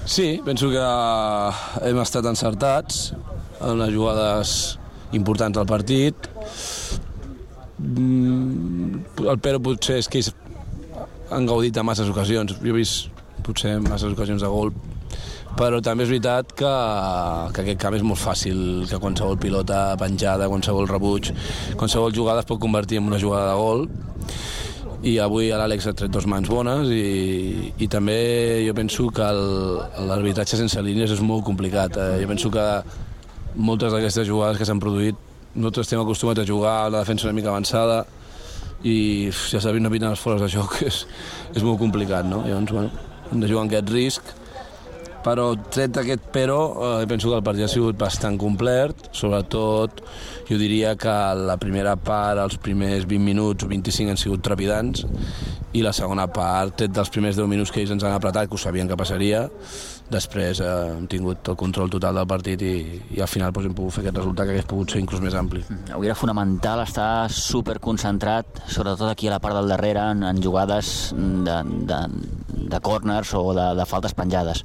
Sí, penso que hem estat encertats en les jugades importants del partit. El Pero potser és que ells han gaudit de masses ocasions. Jo he vist potser masses ocasions de gol, però també és veritat que, que aquest camp és molt fàcil, que qualsevol pilota penjada, qualsevol rebuig, qualsevol jugada es pot convertir en una jugada de gol, i avui l'Àlex ha tret dos mans bones i, i també jo penso que l'arbitratge sense línies és molt complicat. Eh? Jo penso que moltes d'aquestes jugades que s'han produït, nosaltres estem acostumats a jugar a la defensa una mica avançada i ja sabem, no piten els fores de joc, és, és molt complicat, no? Llavors, bueno, hem de jugar amb aquest risc, però tret aquest però, eh, penso que el partit ha sigut bastant complet, sobretot jo diria que la primera part, els primers vint minuts o vint-i-cinc han sigut trepidants, i la segona part, tret dels primers deu minuts que ells ens han apretat, que ho sabien que passaria, després eh, hem tingut el control total del partit i, i al final doncs, hem pogut fer aquest resultat que hagués pogut ser inclús més ampli. Avui era fonamental estar superconcentrat, sobretot aquí a la part del darrere, en, en jugades de, de, de corners o de, de faltes penjades.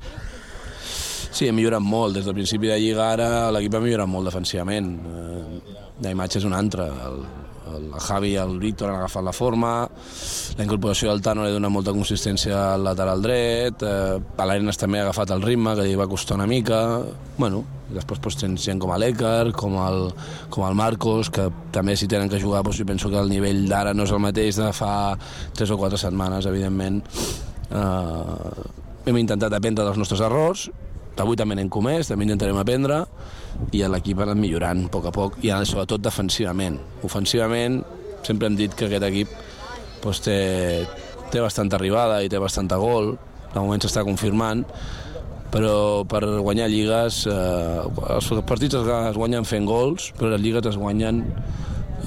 Sí, hem millorat molt. Des del principi de Lliga ara l'equip ha millorat molt defensivament. Eh, la imatge és una altra. El, el Javi i el Víctor han agafat la forma, la incorporació del Tano li dona molta consistència al lateral dret, eh, l'Arenas també ha agafat el ritme, que li va costar una mica. Bueno, després doncs, tens gent com l'Ècar, com el, com el Marcos, que també si tenen que jugar, doncs, jo penso que el nivell d'ara no és el mateix de fa tres o quatre setmanes, evidentment. Eh, hem intentat aprendre dels nostres errors, avui també n'hem comès, també intentarem aprendre, i l'equip ha anat millorant a poc a poc, i sobretot defensivament. Ofensivament, sempre hem dit que aquest equip doncs, té, té bastanta arribada i té bastanta gol, de moment s'està confirmant, però per guanyar lligues, eh, els partits es guanyen fent gols, però les lligues es guanyen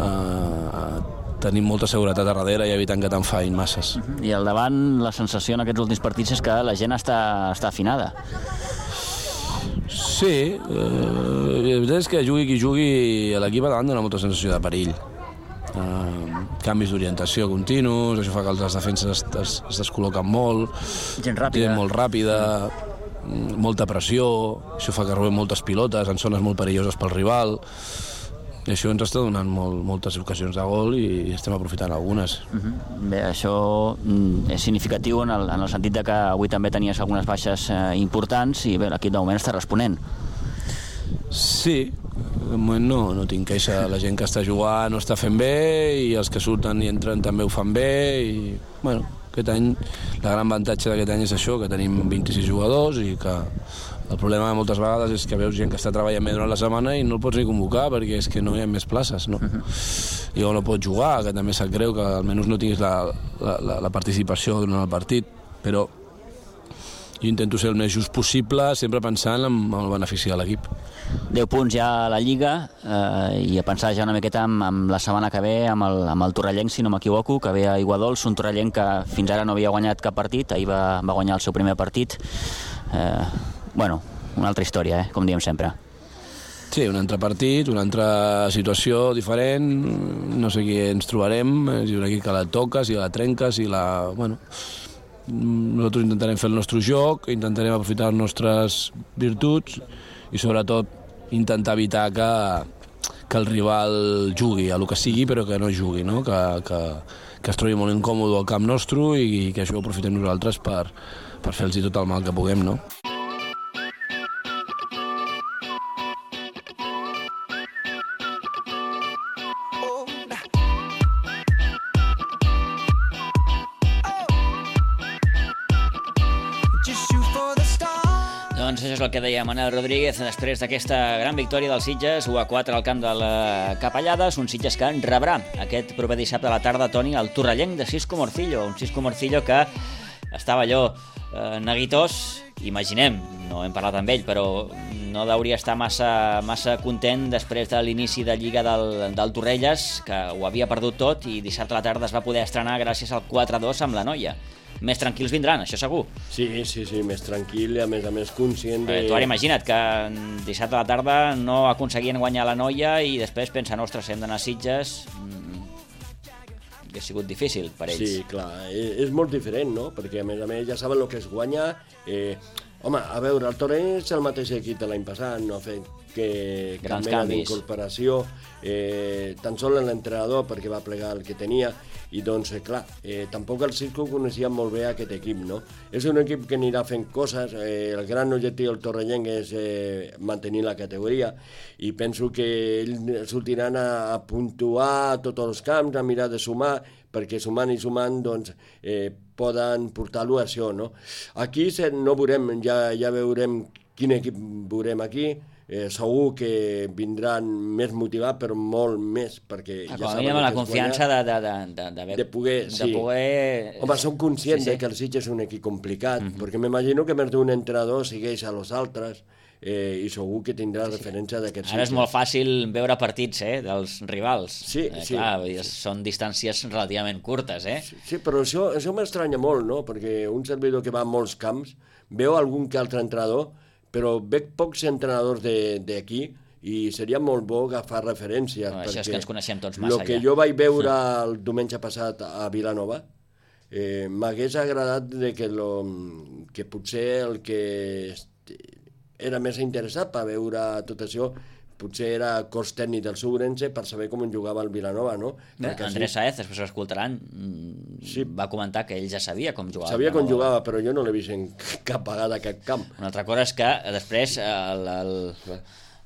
eh, tenint molta seguretat a darrere i evitant que te'n fain masses. I al davant la sensació en aquests últims partits és que la gent està, està afinada. Sí, eh, la veritat és que jugui qui jugui, l'equip a davant dona molta sensació de perill. Eh, canvis d'orientació continus, això fa que les defenses es, es, es descol·loquen molt, gent ràpida, gent molt ràpida, molta pressió, això fa que robem moltes pilotes en zones molt perilloses pel rival, i això ens està donant molt, moltes ocasions de gol i estem aprofitant algunes. Uh-huh. Bé, això és significatiu en el, en el sentit de que avui també tenies algunes baixes eh, importants i bé, l'equip de moment està responent. Sí, de moment no, no tinc queixa. La gent que està jugant no està fent bé i els que surten i entren també ho fan bé i, bueno, Aquest any, la gran avantatge d'aquest any és això, que tenim vint-i-sis jugadors i que el problema moltes vegades és que veus gent que està treballant bé durant la setmana i no el pots ni convocar perquè és que no hi ha més places, no? I o no pots jugar, que també sap greu que almenys no tinguis la, la, la, la participació durant el partit, però jo intento ser el més just possible, sempre pensant en el benefici de l'equip. deu punts ja a la Lliga eh, i a pensar ja una miqueta amb, amb la setmana que ve amb el, amb el Torrellenc, si no m'equivoco, que ve a Iguadols, un Torrellenc que fins ara no havia guanyat cap partit, ahir va, va guanyar el seu primer partit. Eh, bueno, una altra història, eh, com diem sempre. Sí, un altre partit, una altra situació diferent, no sé qui ens trobarem, si un equip que la toques, si la trenques, si la... Bueno, nosaltres intentarem fer el nostre joc, intentarem aprofitar les nostres virtuts i sobretot intentar evitar que, que el rival jugui a el que sigui però que no jugui, no? Que, que, que es trobi molt incòmode al camp nostre i que això ho aprofitem nosaltres per, per fer-los tot el mal que puguem, no? Doncs això és el que deia Manel Rodríguez després d'aquesta gran victòria dels Sitges, u a quatre al camp de la Capellades, un Sitges que rebrà aquest proper dissabte a la tarda, Toni, el Torrellenc de Cisco Morcillo, un Cisco Morcillo que estava allò eh, neguitós, imaginem, no hem parlat amb ell, però no hauria estar massa, massa content després de l'inici de Lliga del, del Torrelles, que ho havia perdut tot i dissabte a la tarda es va poder estrenar gràcies al quatre a dos amb la Noia. Més tranquils vindran, això segur. Sí, sí, sí, més tranquil i a més a més conscient de... Tu ara imagina't que dissabte a la tarda no aconseguien guanyar la Noia i després pensen, ostres, hem d'anar a Sitges... que ha sigut difícil per ells. Sí, clar, és molt diferent, no? Perquè a més a més ja saben el que es guanya. Eh, home, a veure, el Torrent és el mateix equip de l'any passat, no ha fet que grans cap mena canvis d'incorporació, eh, tan sols l'entrenador perquè va plegar el que tenia i doncs, eh, clar, eh, tampoc el Cisco coneixia molt bé aquest equip, no? És un equip que anirà fent coses, eh, el gran objectiu del Torrellenc és eh, mantenir la categoria i penso que ells sortiran a, a puntuar tots els camps, a mirar de sumar, perquè sumant i sumant doncs, eh, poden portar-lo a això, no? Aquí no veurem, ja, ja veurem quin equip veurem aquí. Eh, segur que vindran més motivats, però molt més, perquè ja ja saben la confiança de, de, de, de, de poder... de sí. poder... Home, som conscients sí, sí. de que el Sitges és un equip complicat, uh-huh. perquè m'imagino que més d'un entrenador segueix a los altres eh, i segur que tindrà sí. referència d'aquests Sitges. Ara és molt fàcil veure partits eh, dels rivals. Sí, eh, sí. Clar, són distàncies relativament curtes, eh? Sí, sí, però això, això m'estranya molt, no? Perquè un servidor que va a molts camps veu algun que altre entrenador, però veig pocs entrenadors d'aquí i seria molt bo agafar referències. No, això és que ens coneixem tots massa. El que ja. jo vaig veure el diumenge passat a Vilanova eh, m'hagués agradat de que, lo, que potser el que era més interessat per veure tot això potser era cos tècnic del Segurense per saber com jugava el Vilanova, no? Bé, Andrés sí. Saez, després ho escoltaran, sí. va comentar que ell ja sabia com jugava. Sabia com jugava, però jo no l'he vist en cap vegada a cap camp. Una altra cosa és que després el, el,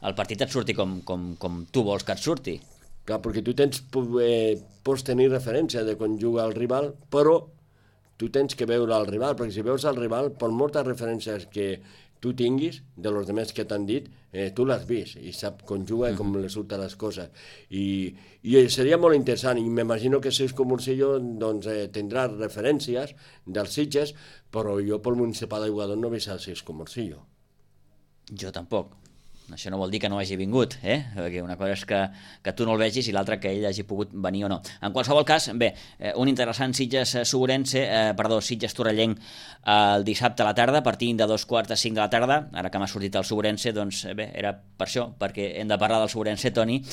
el partit et surti com, com, com tu vols que et surti. Clar, perquè tu tens, eh, pots tenir referència de quan juga el rival, però tu tens que veure el rival, perquè si veus el rival, per moltes referències que tu tinguis, de los demés que t'han dit, eh, tu l'has vist i sap com juga i com li surten les coses. I, i seria molt interessant, i m'imagino que Cisco Morcillo doncs, eh, tindrà referències dels Sitges, però jo pel municipal d'Iguadon no he vist el Cisco Morcillo. Jo tampoc. Això no vol dir que no hagi vingut, eh? Perquè una cosa és que, que tu no el vegis i l'altra que ell hagi pogut venir o no. En qualsevol cas, bé, un interessant Sitges-Segurense, eh, perdó, Sitges-Torrellenc el dissabte a la tarda, partint de dos quarts de cinc de la tarda. Ara que m'ha sortit el Segurense, doncs bé, era per això, perquè hem de parlar del Segurense, Toni,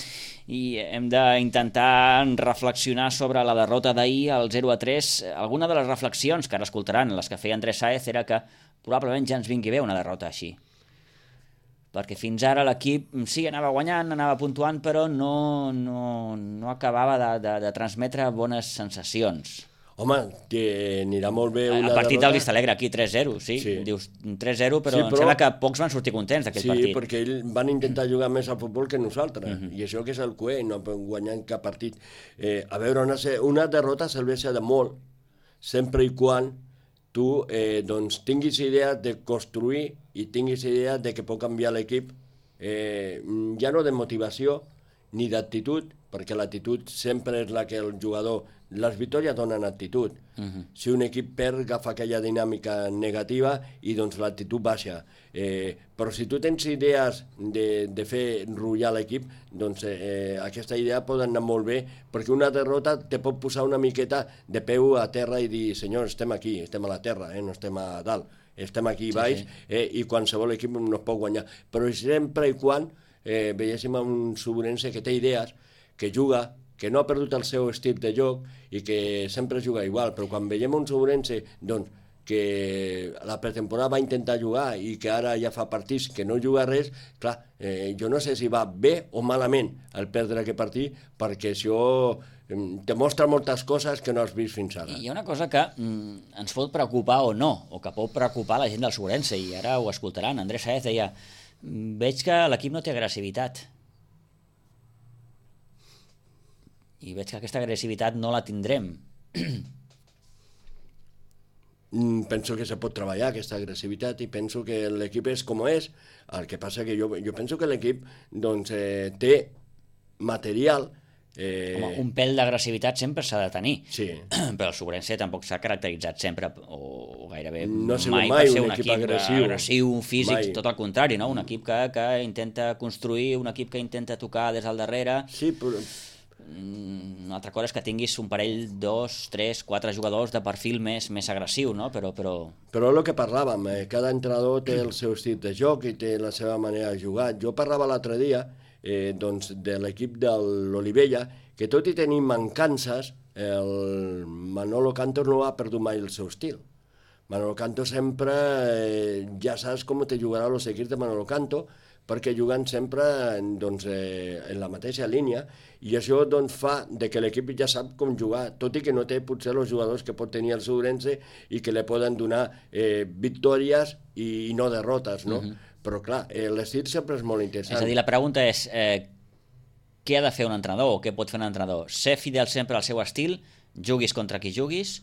i hem d'intentar reflexionar sobre la derrota d'ahir, el zero a tres. Alguna de les reflexions que ara escoltaran, les que feia Andrés Saez, era que probablement ja ens vingui bé una derrota així. Perquè fins ara l'equip sí, anava guanyant, anava puntuant, però no, no, no acabava de, de, de transmetre bones sensacions. Home, que anirà molt bé una derrota... El partit del Vistalegre, aquí tres zero, sí. sí. Dius tres zero, però, sí, però em sembla que pocs van sortir contents d'aquell sí, partit. Sí, perquè ells van intentar jugar més al futbol que nosaltres, uh-huh. i això que és el cué, no guanyant cap partit. Eh, a veure, una, una derrota serveix de molt, sempre i quan tu eh, doncs, tinguis idea de construir i tinguis idea de que pot canviar l'equip, eh, ja no de motivació ni d'actitud, perquè l'actitud sempre és la que el jugador... Les victòries donen actitud. Uh-huh. Si un equip perd, agafa aquella dinàmica negativa i doncs l'actitud baixa. Eh, però si tu tens idees de, de fer enrotllar l'equip, doncs eh, aquesta idea pot anar molt bé, perquè una derrota te pot posar una miqueta de peu a terra i dir, senyor, estem aquí, estem a la terra, eh, no estem a dalt, estem aquí baix, sí, sí. Eh, i qualsevol equip no es pot guanyar. Però sempre i quan eh, veiéssim un Subrense que té idees, que juga, que no ha perdut el seu estil de joc i que sempre juga igual, però quan veiem un Subrense doncs, que la pretemporada va intentar jugar i que ara ja fa partits que no juga res, clar, eh, jo no sé si va bé o malament el perdre aquest partit, perquè això eh, te mostra moltes coses que no has vist fins ara. Hi ha una cosa que mm, ens pot preocupar o no, o que pot preocupar la gent del Subrense, i ara ho escoltaran. Andrés Saez deia, veig que l'equip no té agressivitat. I veig que aquesta agressivitat no la tindrem. Penso que se pot treballar aquesta agressivitat i penso que l'equip és com és. El que passa que jo, jo penso que l'equip doncs, eh, té material. Eh... Home, un pèl d'agressivitat sempre s'ha de tenir. Sí. Però el Subrense tampoc s'ha caracteritzat sempre, o gairebé no mai, mai per ser un, un equip, equip agressiu, agressiu físic, mai. Tot el contrari, no? Un equip que, que intenta construir, un equip que intenta tocar des del darrere. Sí, però... Una altra cosa és que tinguis un parell, dos, tres, quatre jugadors de perfil més, més agressiu, no? Però, però... però el que parlàvem, eh, cada entrenador té el seu estil de joc i té la seva manera de jugar. Jo parlava l'altre dia eh, doncs, de l'equip de l'Olivella, que tot i tenir mancances, el Manolo Cantos no ha perdut mai el seu estil. Manolo Canto sempre, eh, ja saps com te jugarà els equips de Manolo Canto, perquè juguen sempre doncs, eh, en la mateixa línia, i això doncs, fa de que l'equip ja sap com jugar, tot i que no té potser els jugadors que pot tenir el Subrense i que li poden donar eh, victòries i, i no derrotes, no? Uh-huh. Però clar, eh, l'estil sempre és molt interessant. És a dir, la pregunta és eh, què ha de fer un entrenador o què pot fer un entrenador? Ser fidel sempre al seu estil, juguis contra qui juguis,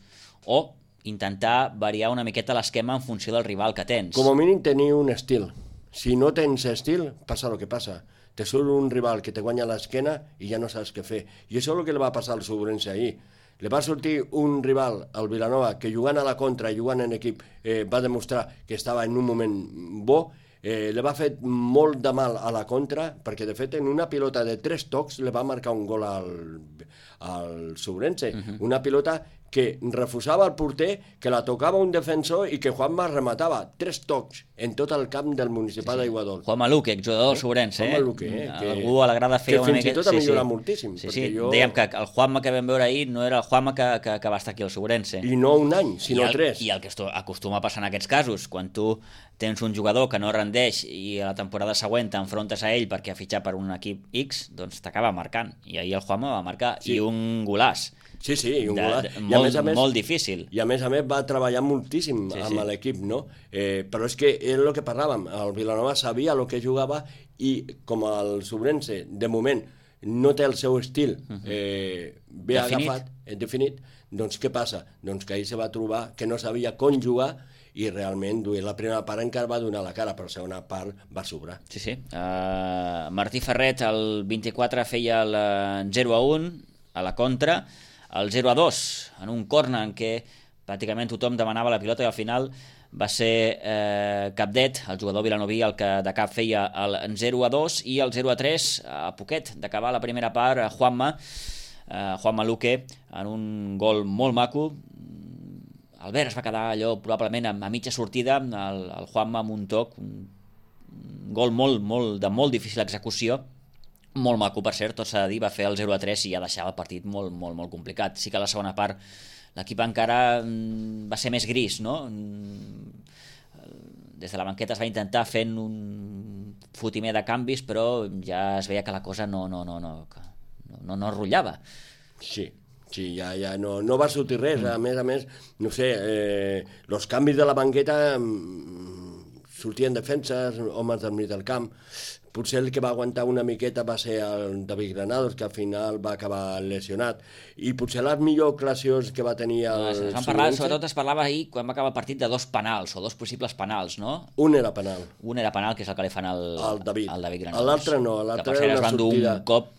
o intentar variar una miqueta l'esquema en funció del rival que tens? Com a mínim tenir un estil. Si no tens estil, passa el que passa. Te surt un rival que te guanya l'esquena i ja no saps què fer. I això és el que li va passar al Subrense ahir. Li va sortir un rival, el Vilanova, que jugant a la contra i jugant en equip eh, va demostrar que estava en un moment bo, eh, li va fer molt de mal a la contra, perquè de fet en una pilota de tres tocs li va marcar un gol al, al Subrense. Uh-huh. Una pilota que refusava el porter, que la tocava un defensor i que Juanma rematava. Tres tocs en tot el camp del municipal sí, sí. d'Aiguadols. Juanma Luque, jugador del Subrense. Juanma Luque, eh? Que, algú a l'agrada fer una mica... Que fins i tot ha millorat sí, sí. moltíssim. Sí, sí. Jo... Dèiem que el Juanma que vam veure ahir no era el Juanma que, que, que va estar aquí al Subrense. I no un any, sinó I el, tres. I el que acostuma a passar en aquests casos, quan tu tens un jugador que no rendeix i a la temporada següent t'enfrontes a ell perquè ha fitxat per un equip X, doncs t'acaba marcant. I ahir el Juanma va marcar, sí. i un golàs. Sí, sí, i un de, golaç. De, I molt, a més a més, molt difícil. I a més a més va treballar moltíssim sí, amb sí. l'equip, no? Eh, però és que és el que parlàvem, el Vilanova sabia el que jugava i com el Subrense, de moment, no té el seu estil eh, ben definit. agafat, eh, definit, doncs què passa? Doncs que ahir se va trobar que no sabia com jugar i realment la primera part encara va donar la cara, però la segona part va sobrar. Sí, sí. Uh, Martí Ferret, el vint-i-quatre, feia el zero a un a la contra, el zero a dos en un corner en què pràcticament tothom demanava la pilota i al final va ser eh, Capdet, el jugador vilanoví, el que de cap feia el zero a dos, i el zero a tres a poquet d'acabar la primera part, Juanma eh, Juanma Luque en un gol molt maco. Albert es va quedar allò probablement a, a mitja sortida, el, el Juanma amb un toc, un, un gol molt, molt, de molt difícil execució, molt maco, per cert, tot s'ha de dir, va fer el zero a tres i ja deixava el partit molt, molt, molt complicat. Sí que a la segona part l'equip encara mm, va ser més gris, no? Des de la banqueta es va intentar fent un fotimer de canvis, però ja es veia que la cosa no, no, no, no, no, no rotllava. Sí, sí, ja, ja no, no va sortir res. A més a més, no sé, eh, els canvis de la banqueta sortien defenses, homes del mig del camp. Potser el que va aguantar una miqueta va ser el David Granados, que al final va acabar lesionat. I potser les millors ocasions que va tenir el es van parlar, sobretot es parlava ahir, quan va acabar el partit, de dos penals, o dos possibles penals, no? Un era penal. Un era penal, que és el que li fan al, al David. al David Granados. L'altre no, l'altre l'altre que per cert era es una van dur sortida. un cop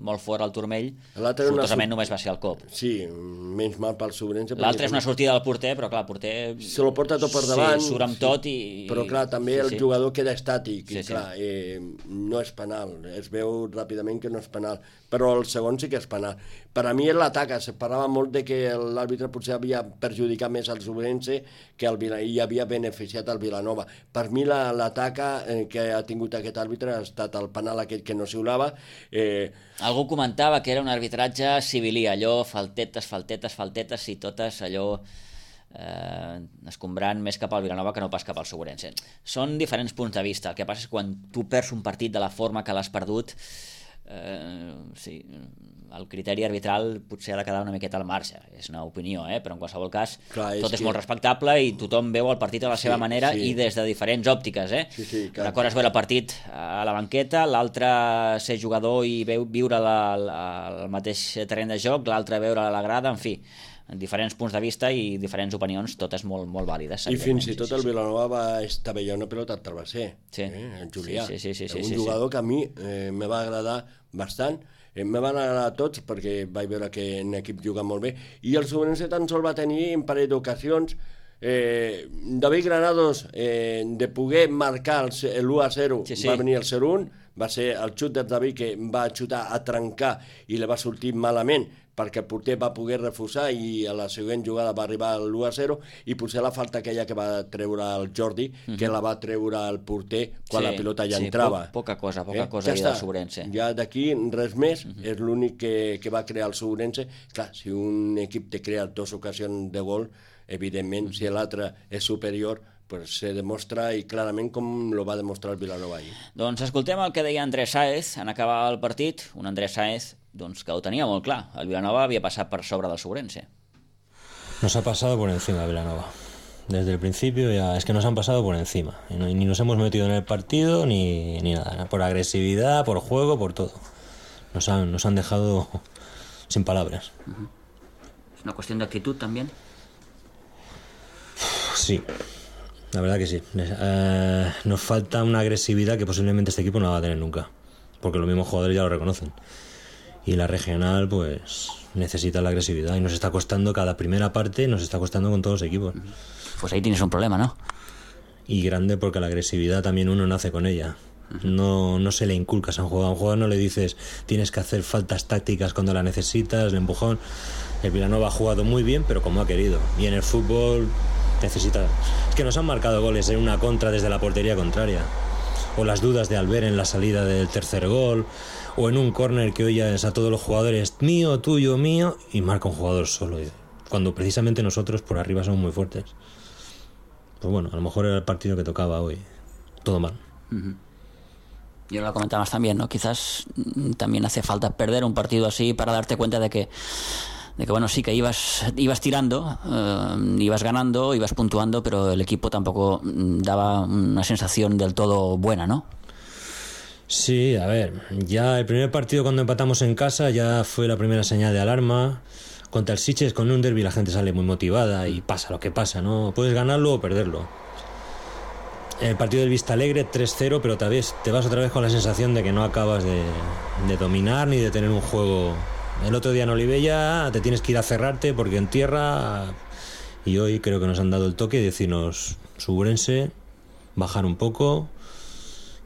molt fort al turmell, sortosament només va ser el cop. Sí, menys mal pel Sobrense. L'altre és una sortida del porter, però clar, el porter... Se lo porta tot per davant. Sí, surt amb tot i... Però clar, també sí, el sí. jugador queda estàtic, Sí, i sí. clar, eh, no és penal. Es veu ràpidament que no és penal, però el segon sí que és penal. Per a mi és l'atac, se parlava molt de que l'àrbitre potser havia perjudicat més el Sobrense que el Vila, i havia beneficiat el Vilanova. Per mi l'atac eh, que ha tingut aquest àrbitre ha estat el penal aquell que no xiulava. Eh... Algú comentava que era un arbitratge civilí, allò, faltetes, faltetes, faltetes, i totes allò... Eh, escombrant més cap al Vilanova que no pas cap al Segurense. Són diferents punts de vista. El que passa és que quan tu perds un partit de la forma que l'has perdut, eh, sí, el criteri arbitral potser ha de quedar una miqueta al marge. És una opinió, eh? Però en qualsevol cas clar, és tot és que... molt respectable i tothom veu el partit a la sí, seva manera sí. i des de diferents òptiques, eh? Sí, sí, clar. Una cosa és veure el partit a la banqueta, l'altre ser jugador i veu, viure la, la, el mateix terreny de joc, l'altre veure a la grada, en fi, en diferents punts de vista i diferents opinions, totes molt, molt vàlides. I fins i tot sí, el sí. Vilanova va estavellar una pelota al travesser, sí. eh, el Julià. Sí, sí, sí, sí, un sí, jugador sí. que a mi eh, me va agradar bastant. Eh, me van agradar tots perquè vaig veure que en equip juga molt bé. I el Sobrense tan sol va tenir un parell d'ocasions. Eh, David Granados, eh, de poder marcar l'u a zero, sí, sí. va venir el zero un, va ser el xut de David que va xutar a trencar i li va sortir malament, perquè el porter va poder refusar i a la següent jugada va arribar l'u a zero, i potser la falta aquella que va treure el Jordi, mm-hmm. que la va treure el porter quan sí, la pilota ja sí, entrava. Po poca cosa, poca eh? cosa Ja ja està. del Sobrense. Ja d'aquí res més, mm-hmm. és l'únic que, que va crear el Sobrense. Clar, si un equip te crea dues ocasions de gol, evidentment, mm-hmm. si l'altre és superior, pues se demostra, i clarament com lo va demostrar el Vilanova ahir. Doncs escoltem el que deia Andrés Sáez en acabar el partit, un Andrés Sáez doncs, que ho tenia molt clar, el Vilanova havia passat per sobre del Sobrense. Nos ha pasado por encima el Vilanova. Desde el principio ya es que nos han pasado por encima. Y no, ni nos hemos metido en el partido ni, ni nada, por agresividad, por juego, por todo. Nos han, nos han dejado sin palabras. Uh-huh. ¿Es una cuestión de actitud también? Sí. La verdad que sí. Eh, nos falta una agresividad que posiblemente este equipo no va a tener nunca, porque los mismos jugadores ya lo reconocen. Y la regional, pues, necesita la agresividad y nos está costando cada primera parte, nos está costando con todos los equipos. Pues ahí tienes un problema, ¿no? Y grande, porque la agresividad también uno nace con ella. No, no se le inculcas a un jugador. A un jugador no le dices tienes que hacer faltas tácticas cuando la necesitas, el empujón. El Vilanova ha jugado muy bien, pero como ha querido. Y en el fútbol necesita... Es que nos han marcado goles en una contra desde la portería contraria. O las dudas de Albert en la salida del tercer gol. O en un córner que oyes a todos los jugadores mío, tuyo, mío, y marca un jugador solo. Cuando precisamente nosotros por arriba somos muy fuertes. Pues bueno, a lo mejor era el partido que tocaba hoy. Todo mal. Uh-huh. Y ahora lo comentabas también, ¿no? Quizás también hace falta perder un partido así para darte cuenta de que, de que bueno, sí que ibas, ibas tirando, eh, ibas ganando, ibas puntuando, pero el equipo tampoco daba una sensación del todo buena, ¿no? Sí, a ver, ya el primer partido cuando empatamos en casa ya fue la primera señal de alarma. Contra el Sitges, con un derbi, la gente sale muy motivada y pasa lo que pasa, ¿no? Puedes ganarlo o perderlo. El partido del Vista Alegre, tres cero, pero tal vez te vas otra vez con la sensación de que no acabas de, de dominar ni de tener un juego. El otro día en Olivella te tienes que ir a cerrarte porque en tierra... Y hoy creo que nos han dado el toque de decirnos, Subrense, bajar un poco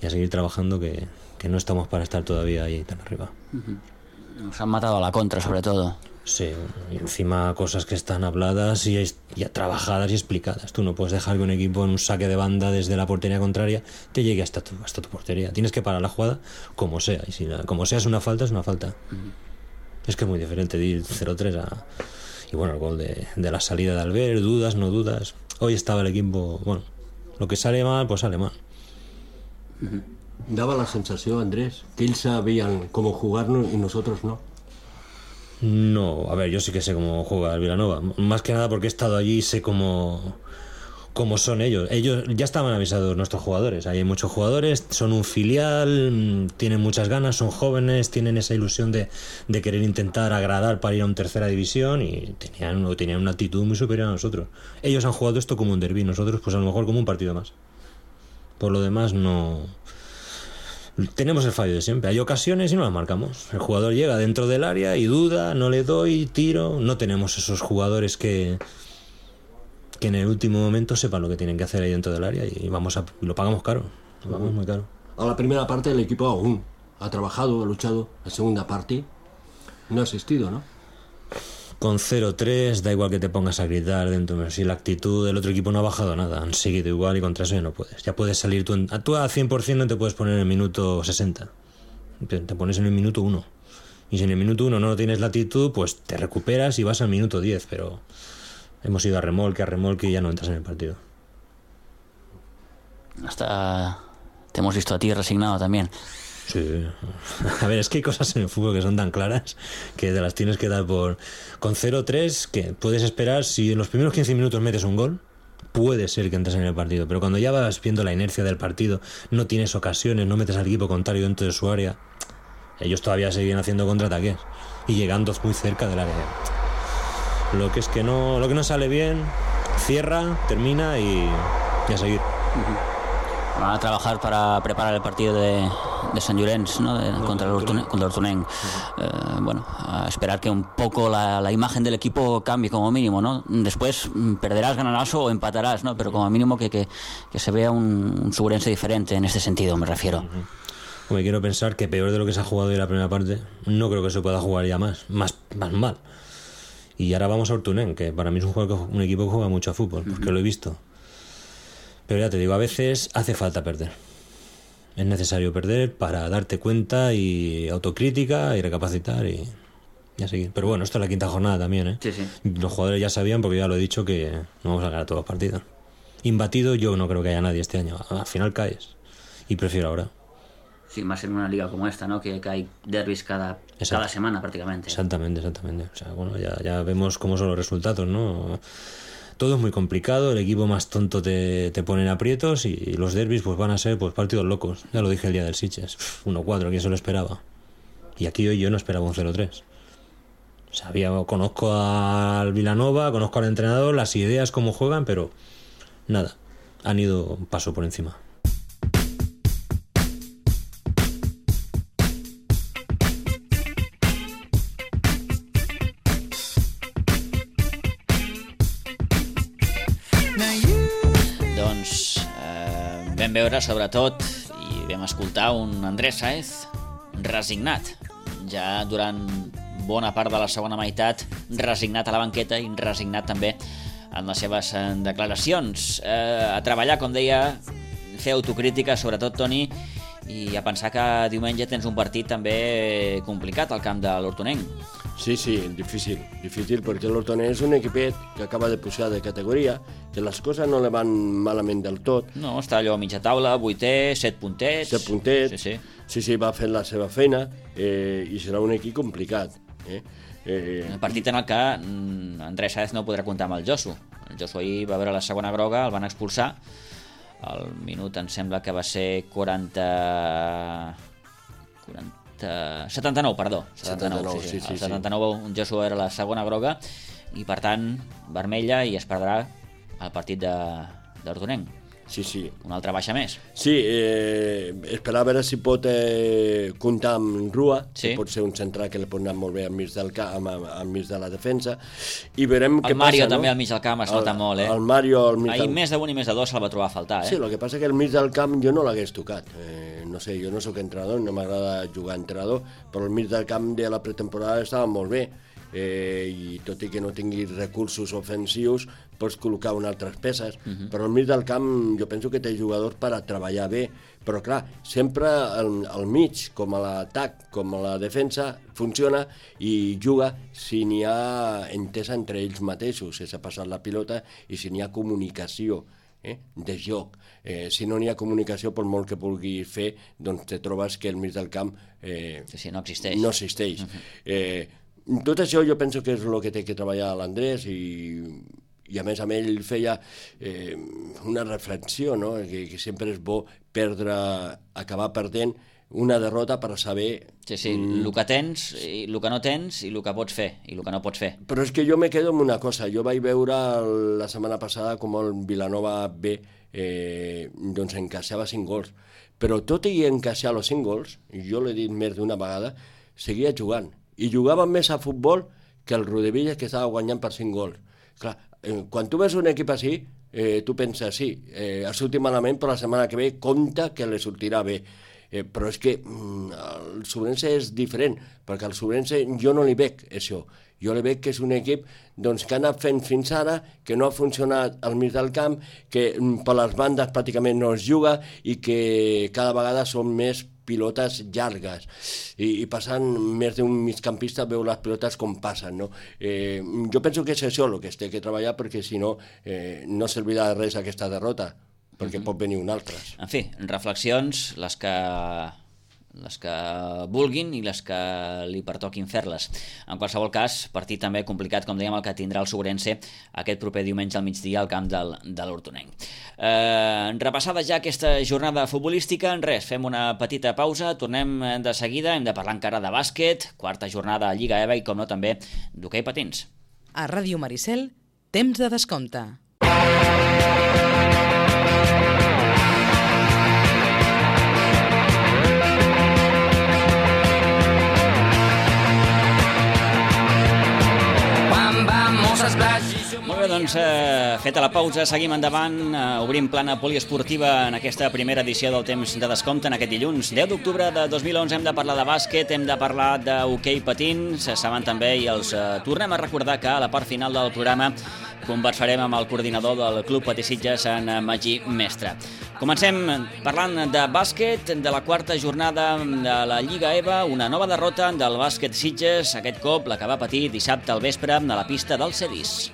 y a seguir trabajando, que, que no estamos para estar todavía ahí tan arriba. Uh-huh. Nos han matado a la contra, sobre todo. Sí, y encima cosas que están habladas y ya trabajadas y explicadas. Tú no puedes dejar que un equipo en un saque de banda desde la portería contraria te llegue hasta tu, hasta tu portería. Tienes que parar la jugada como sea. Y si la, como sea es una falta, es una falta. Uh-huh. Es que es muy diferente de ir cero tres a... Y bueno, el gol de, de la salida de Albert, dudas, no dudas. Hoy estaba el equipo... Bueno, lo que sale mal, pues sale mal. Uh-huh. Daba la sensació, Andrés, que ells sabien cómo jugarnos y nosotros no. No, a ver, yo sí que sé cómo juega el Vilanova. Más que nada porque he estado allí y sé cómo, como son ellos. Ellos ya estaban avisados, nuestros jugadores. Hay muchos jugadores, son un filial, tienen muchas ganas, son jóvenes, tienen esa ilusión de, de querer intentar agradar para ir a una tercera división y tenían, tenían una actitud muy superior a nosotros. Ellos han jugado esto como un derbi, nosotros pues a lo mejor como un partido más. Por lo demás no... Tenemos el fallo de siempre. Hay ocasiones y no las marcamos. El jugador llega dentro del área y duda, no le doy, tiro. No tenemos esos jugadores que... que en el último momento sepan lo que tienen que hacer ahí dentro del área y vamos a, lo pagamos caro, lo pagamos muy caro. A la primera parte el equipo aún ha trabajado, ha luchado. La segunda parte no ha asistido, ¿no? Con cero tres da igual que te pongas a gritar dentro, si la actitud del otro equipo no ha bajado nada, han seguido igual y contra eso ya no puedes. Ya puedes salir tú, en, tú a cien por ciento no te puedes poner en el minuto sesenta, te, te pones en el minuto uno. Y si en el minuto uno no tienes la actitud, pues te recuperas y vas al minuto diez, pero... Hemos ido a remolque, a remolque y ya no entras en el partido. Hasta te hemos visto a ti resignado también. Sí. A ver, es que hay cosas en el fútbol que son tan claras que te las tienes que dar por... Con cero tres, que puedes esperar, si en los primeros quince minutos metes un gol, puede ser que entres en el partido. Pero cuando ya vas viendo la inercia del partido, no tienes ocasiones, no metes al equipo contrario dentro de su área, ellos todavía siguen haciendo contraataques y llegando muy cerca del área. Lo que es que no, lo que no sale bien, cierra, termina y, y a seguir. Uh-huh. Van a trabajar para preparar el partido de, de Sant Llorenç, ¿no? De, no, contra el Hortonenc. Contra el Hortonenc. Uh-huh. eh, bueno, a esperar que un poco la, la imagen del equipo cambie como mínimo, ¿no? Después perderás, ganarás o empatarás, ¿no? Pero como mínimo que, que, que se vea un, un Suburense diferente en este sentido, me refiero. Uh-huh. Me quiero pensar que peor de lo que se ha jugado hoy la primera parte, no creo que se pueda jugar ya más, más, más mal. Y ahora vamos a Hortonenc, que para mí es un, juego, un equipo que juega mucho a fútbol, porque uh-huh. lo he visto. Pero ya te digo, a veces hace falta perder. Es necesario perder para darte cuenta y autocrítica y recapacitar y, y a seguir. Pero bueno, esto es la quinta jornada también, ¿eh? Sí, sí. Los jugadores ya sabían, porque ya lo he dicho, que no vamos a ganar todos los partidos. Imbatido yo no creo que haya nadie este año. Al final caes. Y prefiero ahora. Sí, más en una liga como esta, ¿no? Que, que hay derbis cada, cada semana prácticamente. Exactamente, exactamente. O sea, bueno, ya, ya vemos cómo son los resultados, ¿no? Todo es muy complicado, el equipo más tonto te, te pone en aprietos y los derbis pues van a ser pues partidos locos. Ya lo dije el día del Sitges. uno cuatro, ¿quién se lo esperaba? Y aquí hoy yo no esperaba un cero tres. Sabía, conozco al Vilanova, conozco al entrenador, las ideas, cómo juegan, pero nada, han ido un paso por encima. Vam veure, sobretot, i vam escoltar un Andrés Sáez resignat. Ja durant bona part de la segona meitat, resignat a la banqueta i resignat també en les seves declaracions. Eh, a treballar, com deia, fer autocrítica, sobretot, Toni, i a pensar que diumenge tens un partit també complicat al camp de l'Hortonenc. Sí, sí, difícil, difícil, perquè l'Hortonenc és un equipet que acaba de pujar de categoria, que les coses no le van malament del tot. No, està allò a mitja taula, vuitè, set puntets... Set puntets, sí, sí, sí, sí va fent la seva feina eh, i serà un equip complicat. Eh? Eh... El partit en el que Andrés Sáez no podrà comptar amb el Josu. El Josu ahir va veure la segona groga, el van expulsar. El minut em sembla que va ser quaranta... quaranta... setanta-nou, perdó. setanta-nou, sí, sí, sí, el setanta-nou sí. Joshua era la segona groga i, per tant, vermella i es perdrà el partit d'Hortonenc. Sí, sí. Una altra baixa més. Sí, eh, esperar a veure si pot eh, comptar amb Rua, sí. Que pot ser un central que li pot anar molt bé al mig del camp, al mig de la defensa, i veurem el què Mario passa, també no? al mig del camp es nota el, molt, eh? El Mario al mig Ahir del... més d'un i més de dos se'l va trobar a faltar, eh? Sí, el que passa que al mig del camp jo no l'hagués tocat. Eh, no sé, jo no sóc entrenador, no m'agrada jugar entrenador, però al mig del camp de la pretemporada estava molt bé. Eh, i tot i que no tingui recursos ofensius pots col·locar unes altres peces, uh-huh. Però al mig del camp jo penso que té jugadors per a treballar bé, però clar, sempre al, al mig, com a l'atac com a la defensa, funciona i juga si n'hi ha entesa entre ells mateixos, si s'ha passat la pilota i si n'hi ha comunicació eh, de joc. Eh, si no n'hi ha comunicació, per molt que vulguis fer, doncs te trobes que al mig del camp eh, sí, sí, no existeix, no existeix. Uh-huh. eh, Tot això jo penso que és el que té que treballar l'Andrés i, I a més amb ell feia eh, una reflexió, no? que, que sempre és bo perdre, acabar perdent una derrota per saber... Sí, sí, el que tens, i el que no tens, i el que pots fer, i el que no pots fer. Però és que jo me quedo amb una cosa. Jo vaig veure la setmana passada com el Vilanova B eh, doncs encaixava cinc gols. Però tot i encaixar els cinc gols, i jo l'he dit més d'una vegada, seguia jugant. I jugava més a futbol que el Rodevilla, que estava guanyant per cinc gols. Clar, eh, quan tu ves un equip així, eh, tu penses, sí, eh, ha sortit malament, però la setmana que ve compta que li sortirà bé. Eh, però és que mm, el Sobrense és diferent, perquè el Sobrense jo no li veig això. Jo li veig que és un equip doncs, que ha anat fent fins ara, que no ha funcionat al mig del camp, que mm, per les bandes pràcticament no es juga i que cada vegada són més pilotes llargues i, i passant més d'un migcampista veu les pilotes com passen, no? Eh, jo penso que és això el que es té que treballar, perquè si no eh, no servirà de res aquesta derrota, perquè pot venir un altre. En fi, reflexions, les que, les que vulguin i les que li pertoquin fer-les. En qualsevol cas, partit també complicat, com dèiem, el que tindrà el Sobrense aquest proper diumenge al migdia al camp del, de l'Hortonenc. Eh, repassada ja aquesta jornada futbolística, res, fem una petita pausa, tornem de seguida, hem de parlar encara de bàsquet, quarta jornada a Lliga EVA i, com no, també d'hoquei patins. A Ràdio Maricel, temps de descompte. Molt bé, doncs, eh, feta la pausa, seguim endavant, eh, obrim plana poliesportiva en aquesta primera edició del Temps de Descompte en aquest dilluns. deu d'octubre de dos mil onze hem de parlar de bàsquet, hem de parlar d'hoquei patins, saben també, i els eh, tornem a recordar que a la part final del programa conversarem amb el coordinador del Club Patí Sitges, en Magí Mestre. Comencem parlant de bàsquet, de la quarta jornada de la Lliga EVA, una nova derrota del bàsquet Sitges, aquest cop la que va patir dissabte al vespre a la pista del Cedis.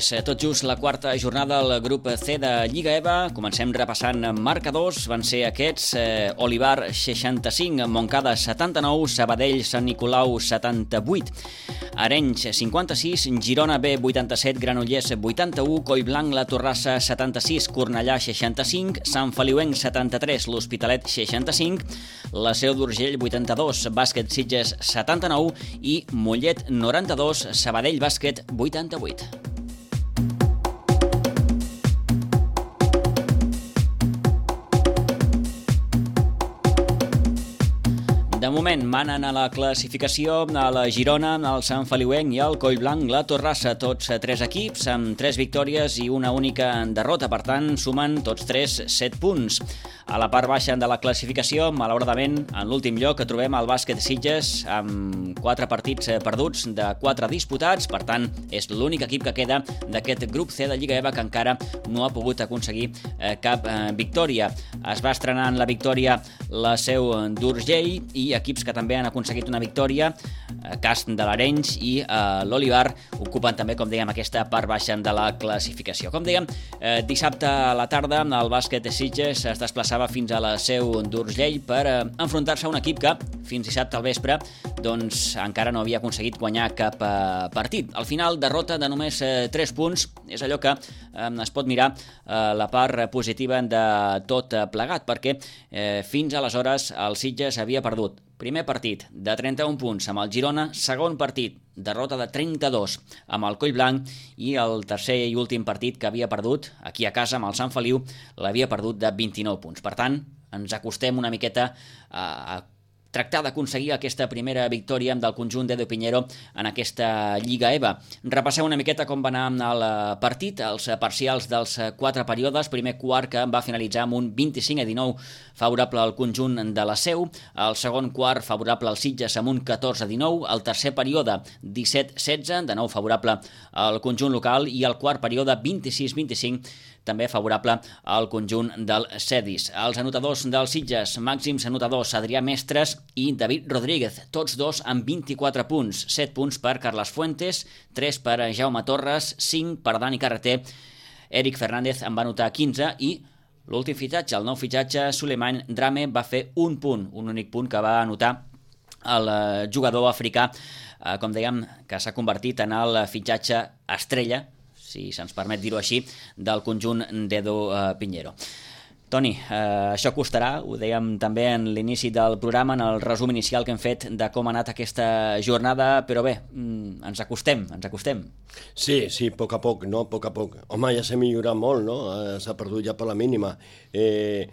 És tot just la quarta jornada del grup C de Lliga EVA. Comencem repassant marcadors. Van ser aquests: eh, Olivar seixanta-cinc, Montcada setanta-nou, Sabadell Sant Nicolau setanta-vuit, Arenys cinquanta-sis, Girona B vuitanta-set, Granollers vuitanta-u, Collblanc La Torrassa setanta-sis, Cornellà seixanta-cinc, Sant Feliuenc setanta-tres, l'Hospitalet seixanta-cinc, la Seu d'Urgell vuitanta-dos, Bàsquet Sitges setanta-nou i Mollet noranta-dos, Sabadell Bàsquet vuitanta-vuit. De moment manen a la classificació a la Girona, el Sant Feliuenc i el Collblanc La Torrassa, tots tres equips amb tres victòries i una única derrota, per tant sumen tots tres set punts. A la part baixa de la classificació, malauradament, en l'últim lloc trobem el Bàsquet Sitges amb quatre partits perduts de quatre disputats, per tant és l'únic equip que queda d'aquest grup C de Lliga EVA que encara no ha pogut aconseguir cap victòria. Es va estrenar en la victòria la Seu d'Urgell i equips que també han aconseguit una victòria, Cast de l'Arenys i eh, l'Olivar, ocupen també, com dèiem, aquesta part baixa de la classificació. Com dèiem, eh, dissabte a la tarda el Bàsquet Sitges es desplaçava fins a la Seu d'Urgell per eh, enfrontar-se a un equip que fins dissabte al vespre doncs encara no havia aconseguit guanyar cap eh, partit. Al final, derrota de només eh, tres punts, és allò que eh, es pot mirar eh, la part positiva de tot plegat, perquè eh, fins aleshores el Sitges havia perdut primer partit de trenta-un punts amb el Girona, segon partit, derrota de trenta-dos amb el Collblanc i el tercer i últim partit que havia perdut aquí a casa amb el Sant Feliu l'havia perdut de vint-i-nou punts. Per tant, ens acostem una miqueta a, a tractar d'aconseguir aquesta primera victòria del conjunt d'Edo Piñero en aquesta Lliga EVA. Repassem una miqueta com va anar el partit, els parcials dels quatre períodes. Primer quart que va finalitzar amb un vint-i-cinc a dinou favorable al conjunt de la Seu, el segon quart favorable al Sitges amb un catorze a dinou, el tercer període disset a setze, de nou favorable al conjunt local, i el quart període vint-i-sis a vint-i-cinc, també favorable al conjunt del Cedis. Els anotadors del Sitges, màxims anotadors Adrià Mestres i David Rodríguez, tots dos amb vint-i-quatre punts, set punts per Carles Fuentes, tres per Jaume Torres, cinc per Dani Carreter, Eric Fernández en va anotar quinze i l'últim fitxatge, el nou fitxatge, Souleymane Dramé, va fer un punt, un únic punt que va anotar el jugador africà, eh, com dèiem, que s'ha convertit en el fitxatge estrella, si se'ns permet dir-ho així, del conjunt d'Edu eh, Pinheiro. Toni, eh, això costarà, ho dèiem també en l'inici del programa, en el resum inicial que hem fet de com ha anat aquesta jornada, però bé, ens acostem, ens acostem. Sí, sí, a poc a poc, no? A poc a poc. Home, ja s'ha millorat molt, no? S'ha perdut ja per la mínima. Eh,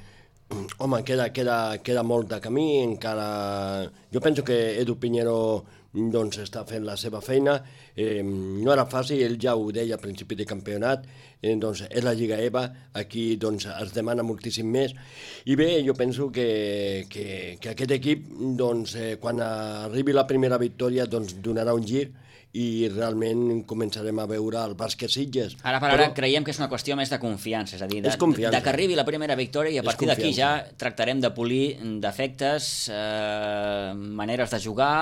home, queda, queda, queda molt de camí, encara... Jo penso que Edu Pinheiro doncs, està fent la seva feina. Eh, no era fàcil, ell ja ho deia al principi de campionat, eh, doncs és la Lliga E V A, aquí doncs, es demana moltíssim més. I bé, jo penso que, que, que aquest equip, doncs, eh, quan arribi la primera victòria, doncs, donarà un gir i realment començarem a veure el bàsquet Sitges. Ara per ara Però... creiem que és una qüestió més de confiança, és a dir, de, és confiança. de que arribi la primera victòria i a partir d'aquí ja tractarem de polir defectes, eh, maneres de jugar,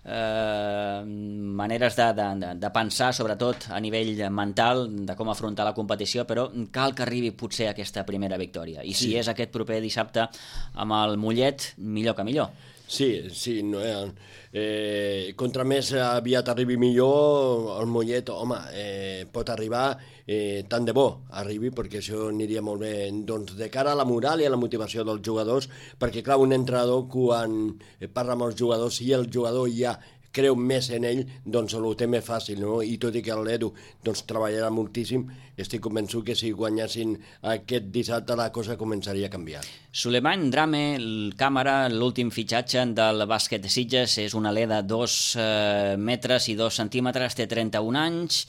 Eh, maneres de, de, de pensar, sobretot a nivell mental, de com afrontar la competició, però cal que arribi potser aquesta primera victòria. I si sí. és aquest proper dissabte amb el Mollet, millor que millor. Sí, sí, no, eh, eh, contra més aviat arribi millor, el Mollet, home, eh, pot arribar, eh, tant de bo arribi, perquè això aniria molt bé, doncs, de cara a la moral i a la motivació dels jugadors, perquè, clar, un entrenador, quan parla amb els jugadors, si el jugador ja creu més en ell, doncs ho té més fàcil, no? I tot i que l'Edu doncs, treballarà moltíssim, estic convençut que si guanyessin aquest dissabte la cosa començaria a canviar. Souleymane Dramé, el càmera, l'últim fitxatge del bàsquet de Sitges, és un alè de dos eh, metres i dos centímetres, té trenta-un anys.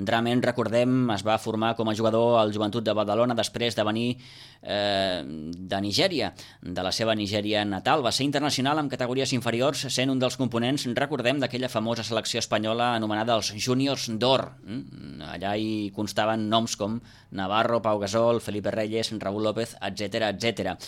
Dramé, recordem, es va formar com a jugador al Joventut de Badalona després de venir eh, de Nigèria, de la seva Nigèria natal. Va ser internacional en categories inferiors, sent un dels components, recordem, d'aquella famosa selecció espanyola anomenada els Júniors d'Or. Allà hi constaven noms com Navarro, Pau Gasol, Felipe Reyes, Raúl López, etcètera, etcètera.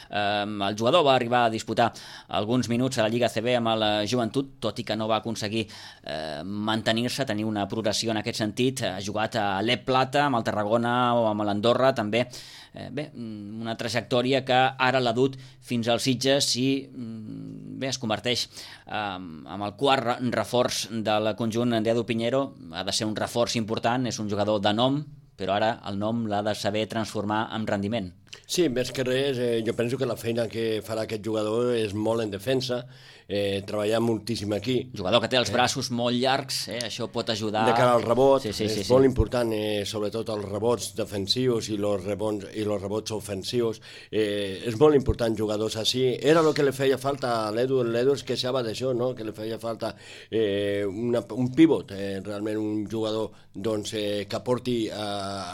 Eh, el jugador va arribar a disputar alguns minuts a la Lliga C B amb el Joventut, tot i que no va aconseguir eh, mantenir-se, tenir una progressió en aquest sentit. Ha jugat a l'E Plata, amb el Tarragona o amb l'Andorra també. Eh, bé, una trajectòria que ara l'ha dut fins als Sitges i bé, es converteix eh, en el quart reforç del conjunt d'Edu Pinheiro. Ha de ser un reforç important, és un jugador de nom, però ara el nom l'ha de saber transformar en rendiment. Sí, més que res, eh, jo penso que la feina que farà aquest jugador és molt en defensa, eh, treballar moltíssim aquí. Jugador que té els braços eh. molt llargs, eh, això pot ajudar... De cara al rebot, sí, sí, sí, és sí. molt important, eh, sobretot els rebots defensius i els rebots, i els rebots ofensius. Eh, és molt important jugadors així. Era el que li feia falta a l'Edu, l'Edu es queixava d'això, no? Que li feia falta eh, una, un pivot, eh, realment un jugador doncs, eh, que porti eh,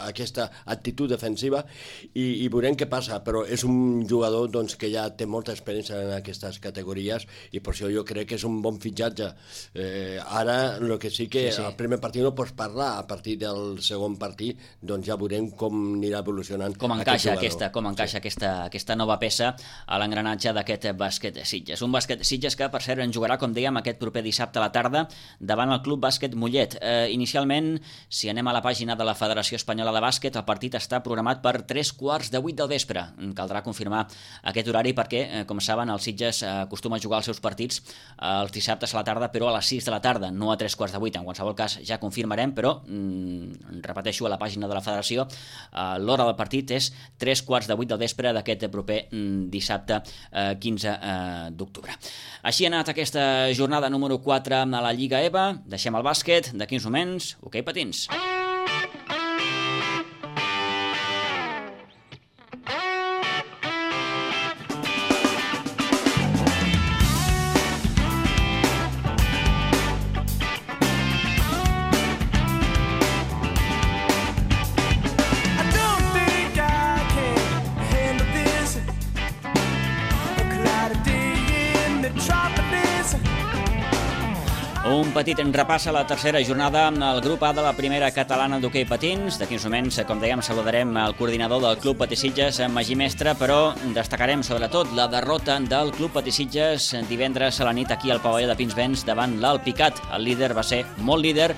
aquesta actitud defensiva i, i veurem què passa, però és un jugador doncs, que ja té molta experiència en aquestes categories i per això jo crec que és un bon fitxatge. Eh, ara, el que sí que sí, sí. al primer partit no pots parlar, a partir del segon partit doncs ja veurem com anirà evolucionant com encaixa aquest aquesta, com encaixa sí. aquesta, aquesta nova peça a l'engranatge d'aquest bàsquet Sitges. Un bàsquet Sitges que, per cert, en jugarà, com dèiem, aquest proper dissabte a la tarda davant el Club Bàsquet Mollet. Eh, inicialment, si anem a la pàgina de la Federació Espanyola de Bàsquet, el partit està programat per tres quarts de vuit del vespre. Caldrà confirmar aquest horari perquè, eh, com saben, el Sitges acostuma a jugar els seus partits els dissabtes a la tarda, però a les sis de la tarda, no a tres quarts de vuit. En qualsevol cas, ja confirmarem, però mm, repeteixo, a la pàgina de la Federació, eh, l'hora del partit és tres quarts de vuit del vespre d'aquest proper mm, dissabte eh, quinze eh, d'octubre. Així ha anat aquesta jornada número quatre a la Lliga E V A. Deixem el bàsquet, d'aquí uns moments, hoquei patins. Un petit repàs a la tercera jornada al grup A de la primera catalana d'hoquei patins. D'aquí uns moments, com dèiem, saludarem el coordinador del Club Patí Sitges, Magí Mestre, però destacarem sobretot la derrota del Club Patí Sitges divendres a la nit aquí al pavelló de Pinsbens davant l'Alpicat. El líder va ser molt líder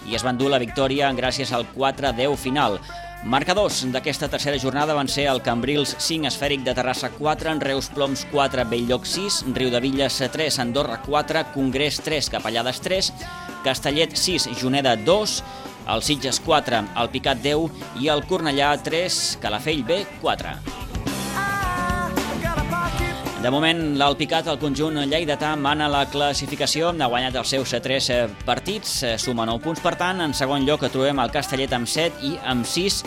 i es va endur la victòria gràcies al quatre a deu final. Marcadors d'aquesta tercera jornada van ser el Cambrils cinc, Esfèric de Terrassa quatre, Reus Ploms quatre, Bell-lloc sis, Riudevilles tres, Andorra quatre, Congrés tres, Capellades tres, Castellet sis, Juneda dos, el Sitges quatre, el Picat deu i el Cornellà tres, Calafell B quatre. De moment, l'Alpicat, el conjunt lleidatà, mana la classificació, ha guanyat els seus tres partits, suma nou punts, per tant, en segon lloc trobem el Castellet amb set i amb sis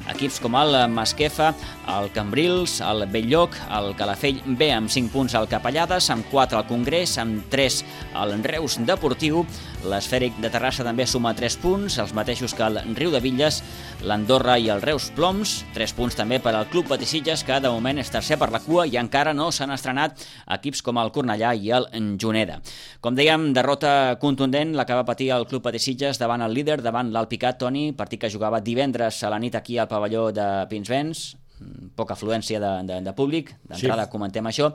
equips com el Masquefa, el Cambrils, el Bell-lloc, el Calafell B amb cinc punts, el Capellades, amb quatre el Congrés, amb tres el Reus Deportiu, l'Esfèric de Terrassa també suma tres punts, els mateixos que el Riudevilles, l'Andorra i el Reus Ploms, tres punts també per al Club Patisitges, que de moment és tercer per la cua i encara no s'han estrenat equips com el Cornellà i el Juneda. Com dèiem, derrota contundent la que va patir el Club Patisitges davant el líder, davant l'Alpicat, Toni, partit que jugava divendres a la nit aquí al pavelló de Pinsbens, poca afluència de, de, de públic, d'entrada sí. Comentem això,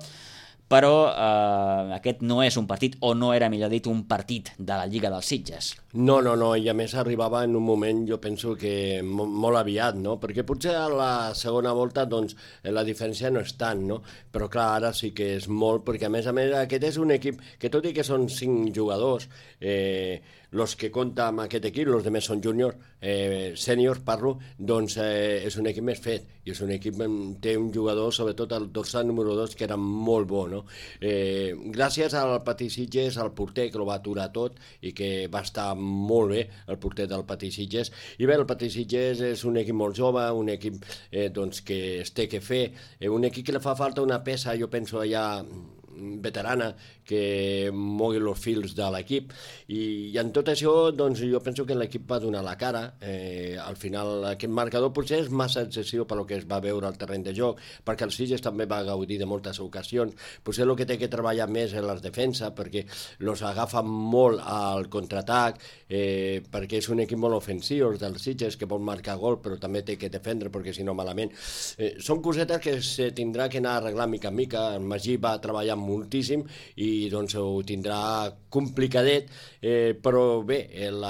però eh, aquest no és un partit, o no era, millor dit, un partit de la Lliga dels Sitges. No, no, no, i a més arribava en un moment, jo penso que molt aviat, no? Perquè potser a la segona volta doncs la diferència no és tant, no? Però clar, ara sí que és molt, perquè a més a més aquest és un equip que tot i que són cinc jugadors, eh, los que compta amb aquest equip, els demés són júniors, eh, sèniors parlo, doncs eh, és un equip més fet, i és un equip que té un jugador, sobretot el dorsal número dos, que era molt bo, no? Eh, gràcies al Patisitges, al porter, que ho va aturar tot, i que va estar molt bé, el porter del Patisitges. I bé, el Patisitges és un equip molt jove, un equip eh, doncs, que es té que fer, eh, un equip que li fa falta una peça, jo penso allà veterana, que mogui els fils de l'equip, i, i en tot això doncs, jo penso que l'equip va donar la cara. Eh, al final aquest marcador potser és massa excessiu per lo que es va veure al terreny de joc, perquè el Sitges també va gaudir de moltes ocasions, potser el que té que treballar més és la defensa, perquè els agafa molt al contraatac, eh, perquè és un equip molt ofensiu, els del Sitges, que vol marcar gol però també té que defendre, perquè si no malament. Eh, són cosetes que se tindrà que anar arreglant mica en mica. El Magí va treballar moltíssim i doncs ho tindrà complicadet, eh, però bé, el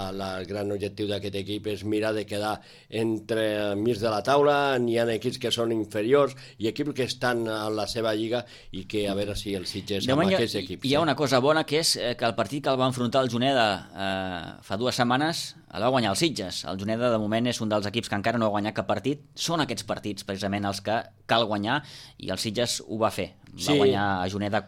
gran objectiu d'aquest equip és mirar de quedar entre mig de la taula. N'hi ha equips que són inferiors i equips que estan a la seva lliga, i que a veure si el Sitges amb aquests equips. Hi ha una cosa bona, que és que el partit que el va enfrontar el Juneda eh, fa dues setmanes el va guanyar el Sitges. El Juneda de moment és un dels equips que encara no ha guanyat cap partit. Són aquests partits precisament els que cal guanyar, i el Sitges ho va fer. Va sí. guanyar a Juneda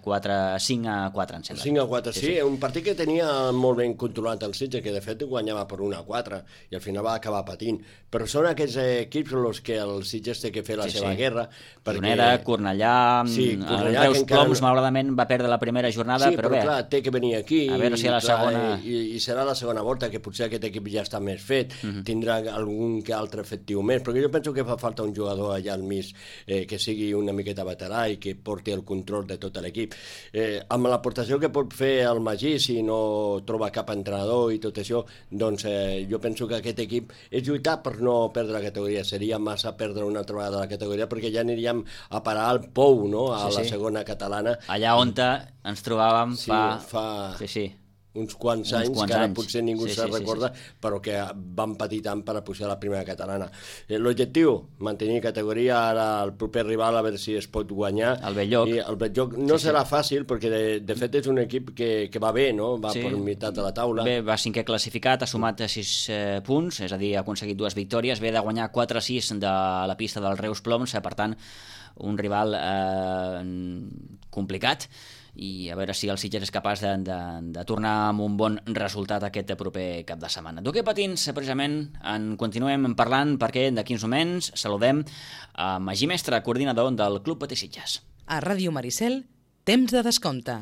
cinc a quatre, em sembla. cinc a quatre, sí, sí, sí. Un partit que tenia molt ben controlat el Sitges, que de fet guanyava per un a quatre, i al final va acabar patint. Però són aquests equips els que el Sitges té que fer la sí, seva sí. guerra. Perquè... Juneda, Cornellà, sí, Cornellà, el Reus Ploms encara... malauradament va perdre la primera jornada, sí, però, però bé. clar, té que venir aquí, a veure si a la clar, segona... I, i serà la segona volta, que potser aquest equip ja està més fet, uh-huh. tindrà algun que altre efectiu més, perquè jo penso que fa falta un jugador allà al mig eh, que sigui una miqueta veterà i que porti el control de tot l'equip. Eh, amb l'aportació que pot fer el Magí, si no troba cap entrenador i tot això, doncs eh, jo penso que aquest equip és lluitar per no perdre la categoria. Seria massa perdre una altra vegada la categoria, perquè ja aniríem a parar al Pou, no?, a sí, la sí. segona catalana. Allà on ens trobàvem sí, fa... fa... Sí, sí. uns quants uns anys, quants que ara anys. potser ningú sí, se'n sí, recorda, sí, sí. però que van patir tant per a pujar a la primera catalana. Eh, L'objectiu, mantenir categoria, ara el proper rival a veure si es pot guanyar. El Bell-lloc. I el Bell-lloc no sí, serà sí. fàcil, perquè de, de fet és un equip que, que va bé, no? Va sí. per meitat de la taula. Bé, va cinquè classificat, ha sumat sis eh, punts, és a dir, ha aconseguit dues victòries, ve de guanyar quatre a sis de la pista del Reus Ploms, per tant, un rival eh, complicat, i a veure si el Sitges és capaç de, de, de tornar amb un bon resultat aquest proper cap de setmana. D'hoquei patins, precisament, en continuem parlant, perquè d'aquí uns moments saludem a Magí Mestre, coordinador del Club Patisitges. A Ràdio Maricel, temps de descompte.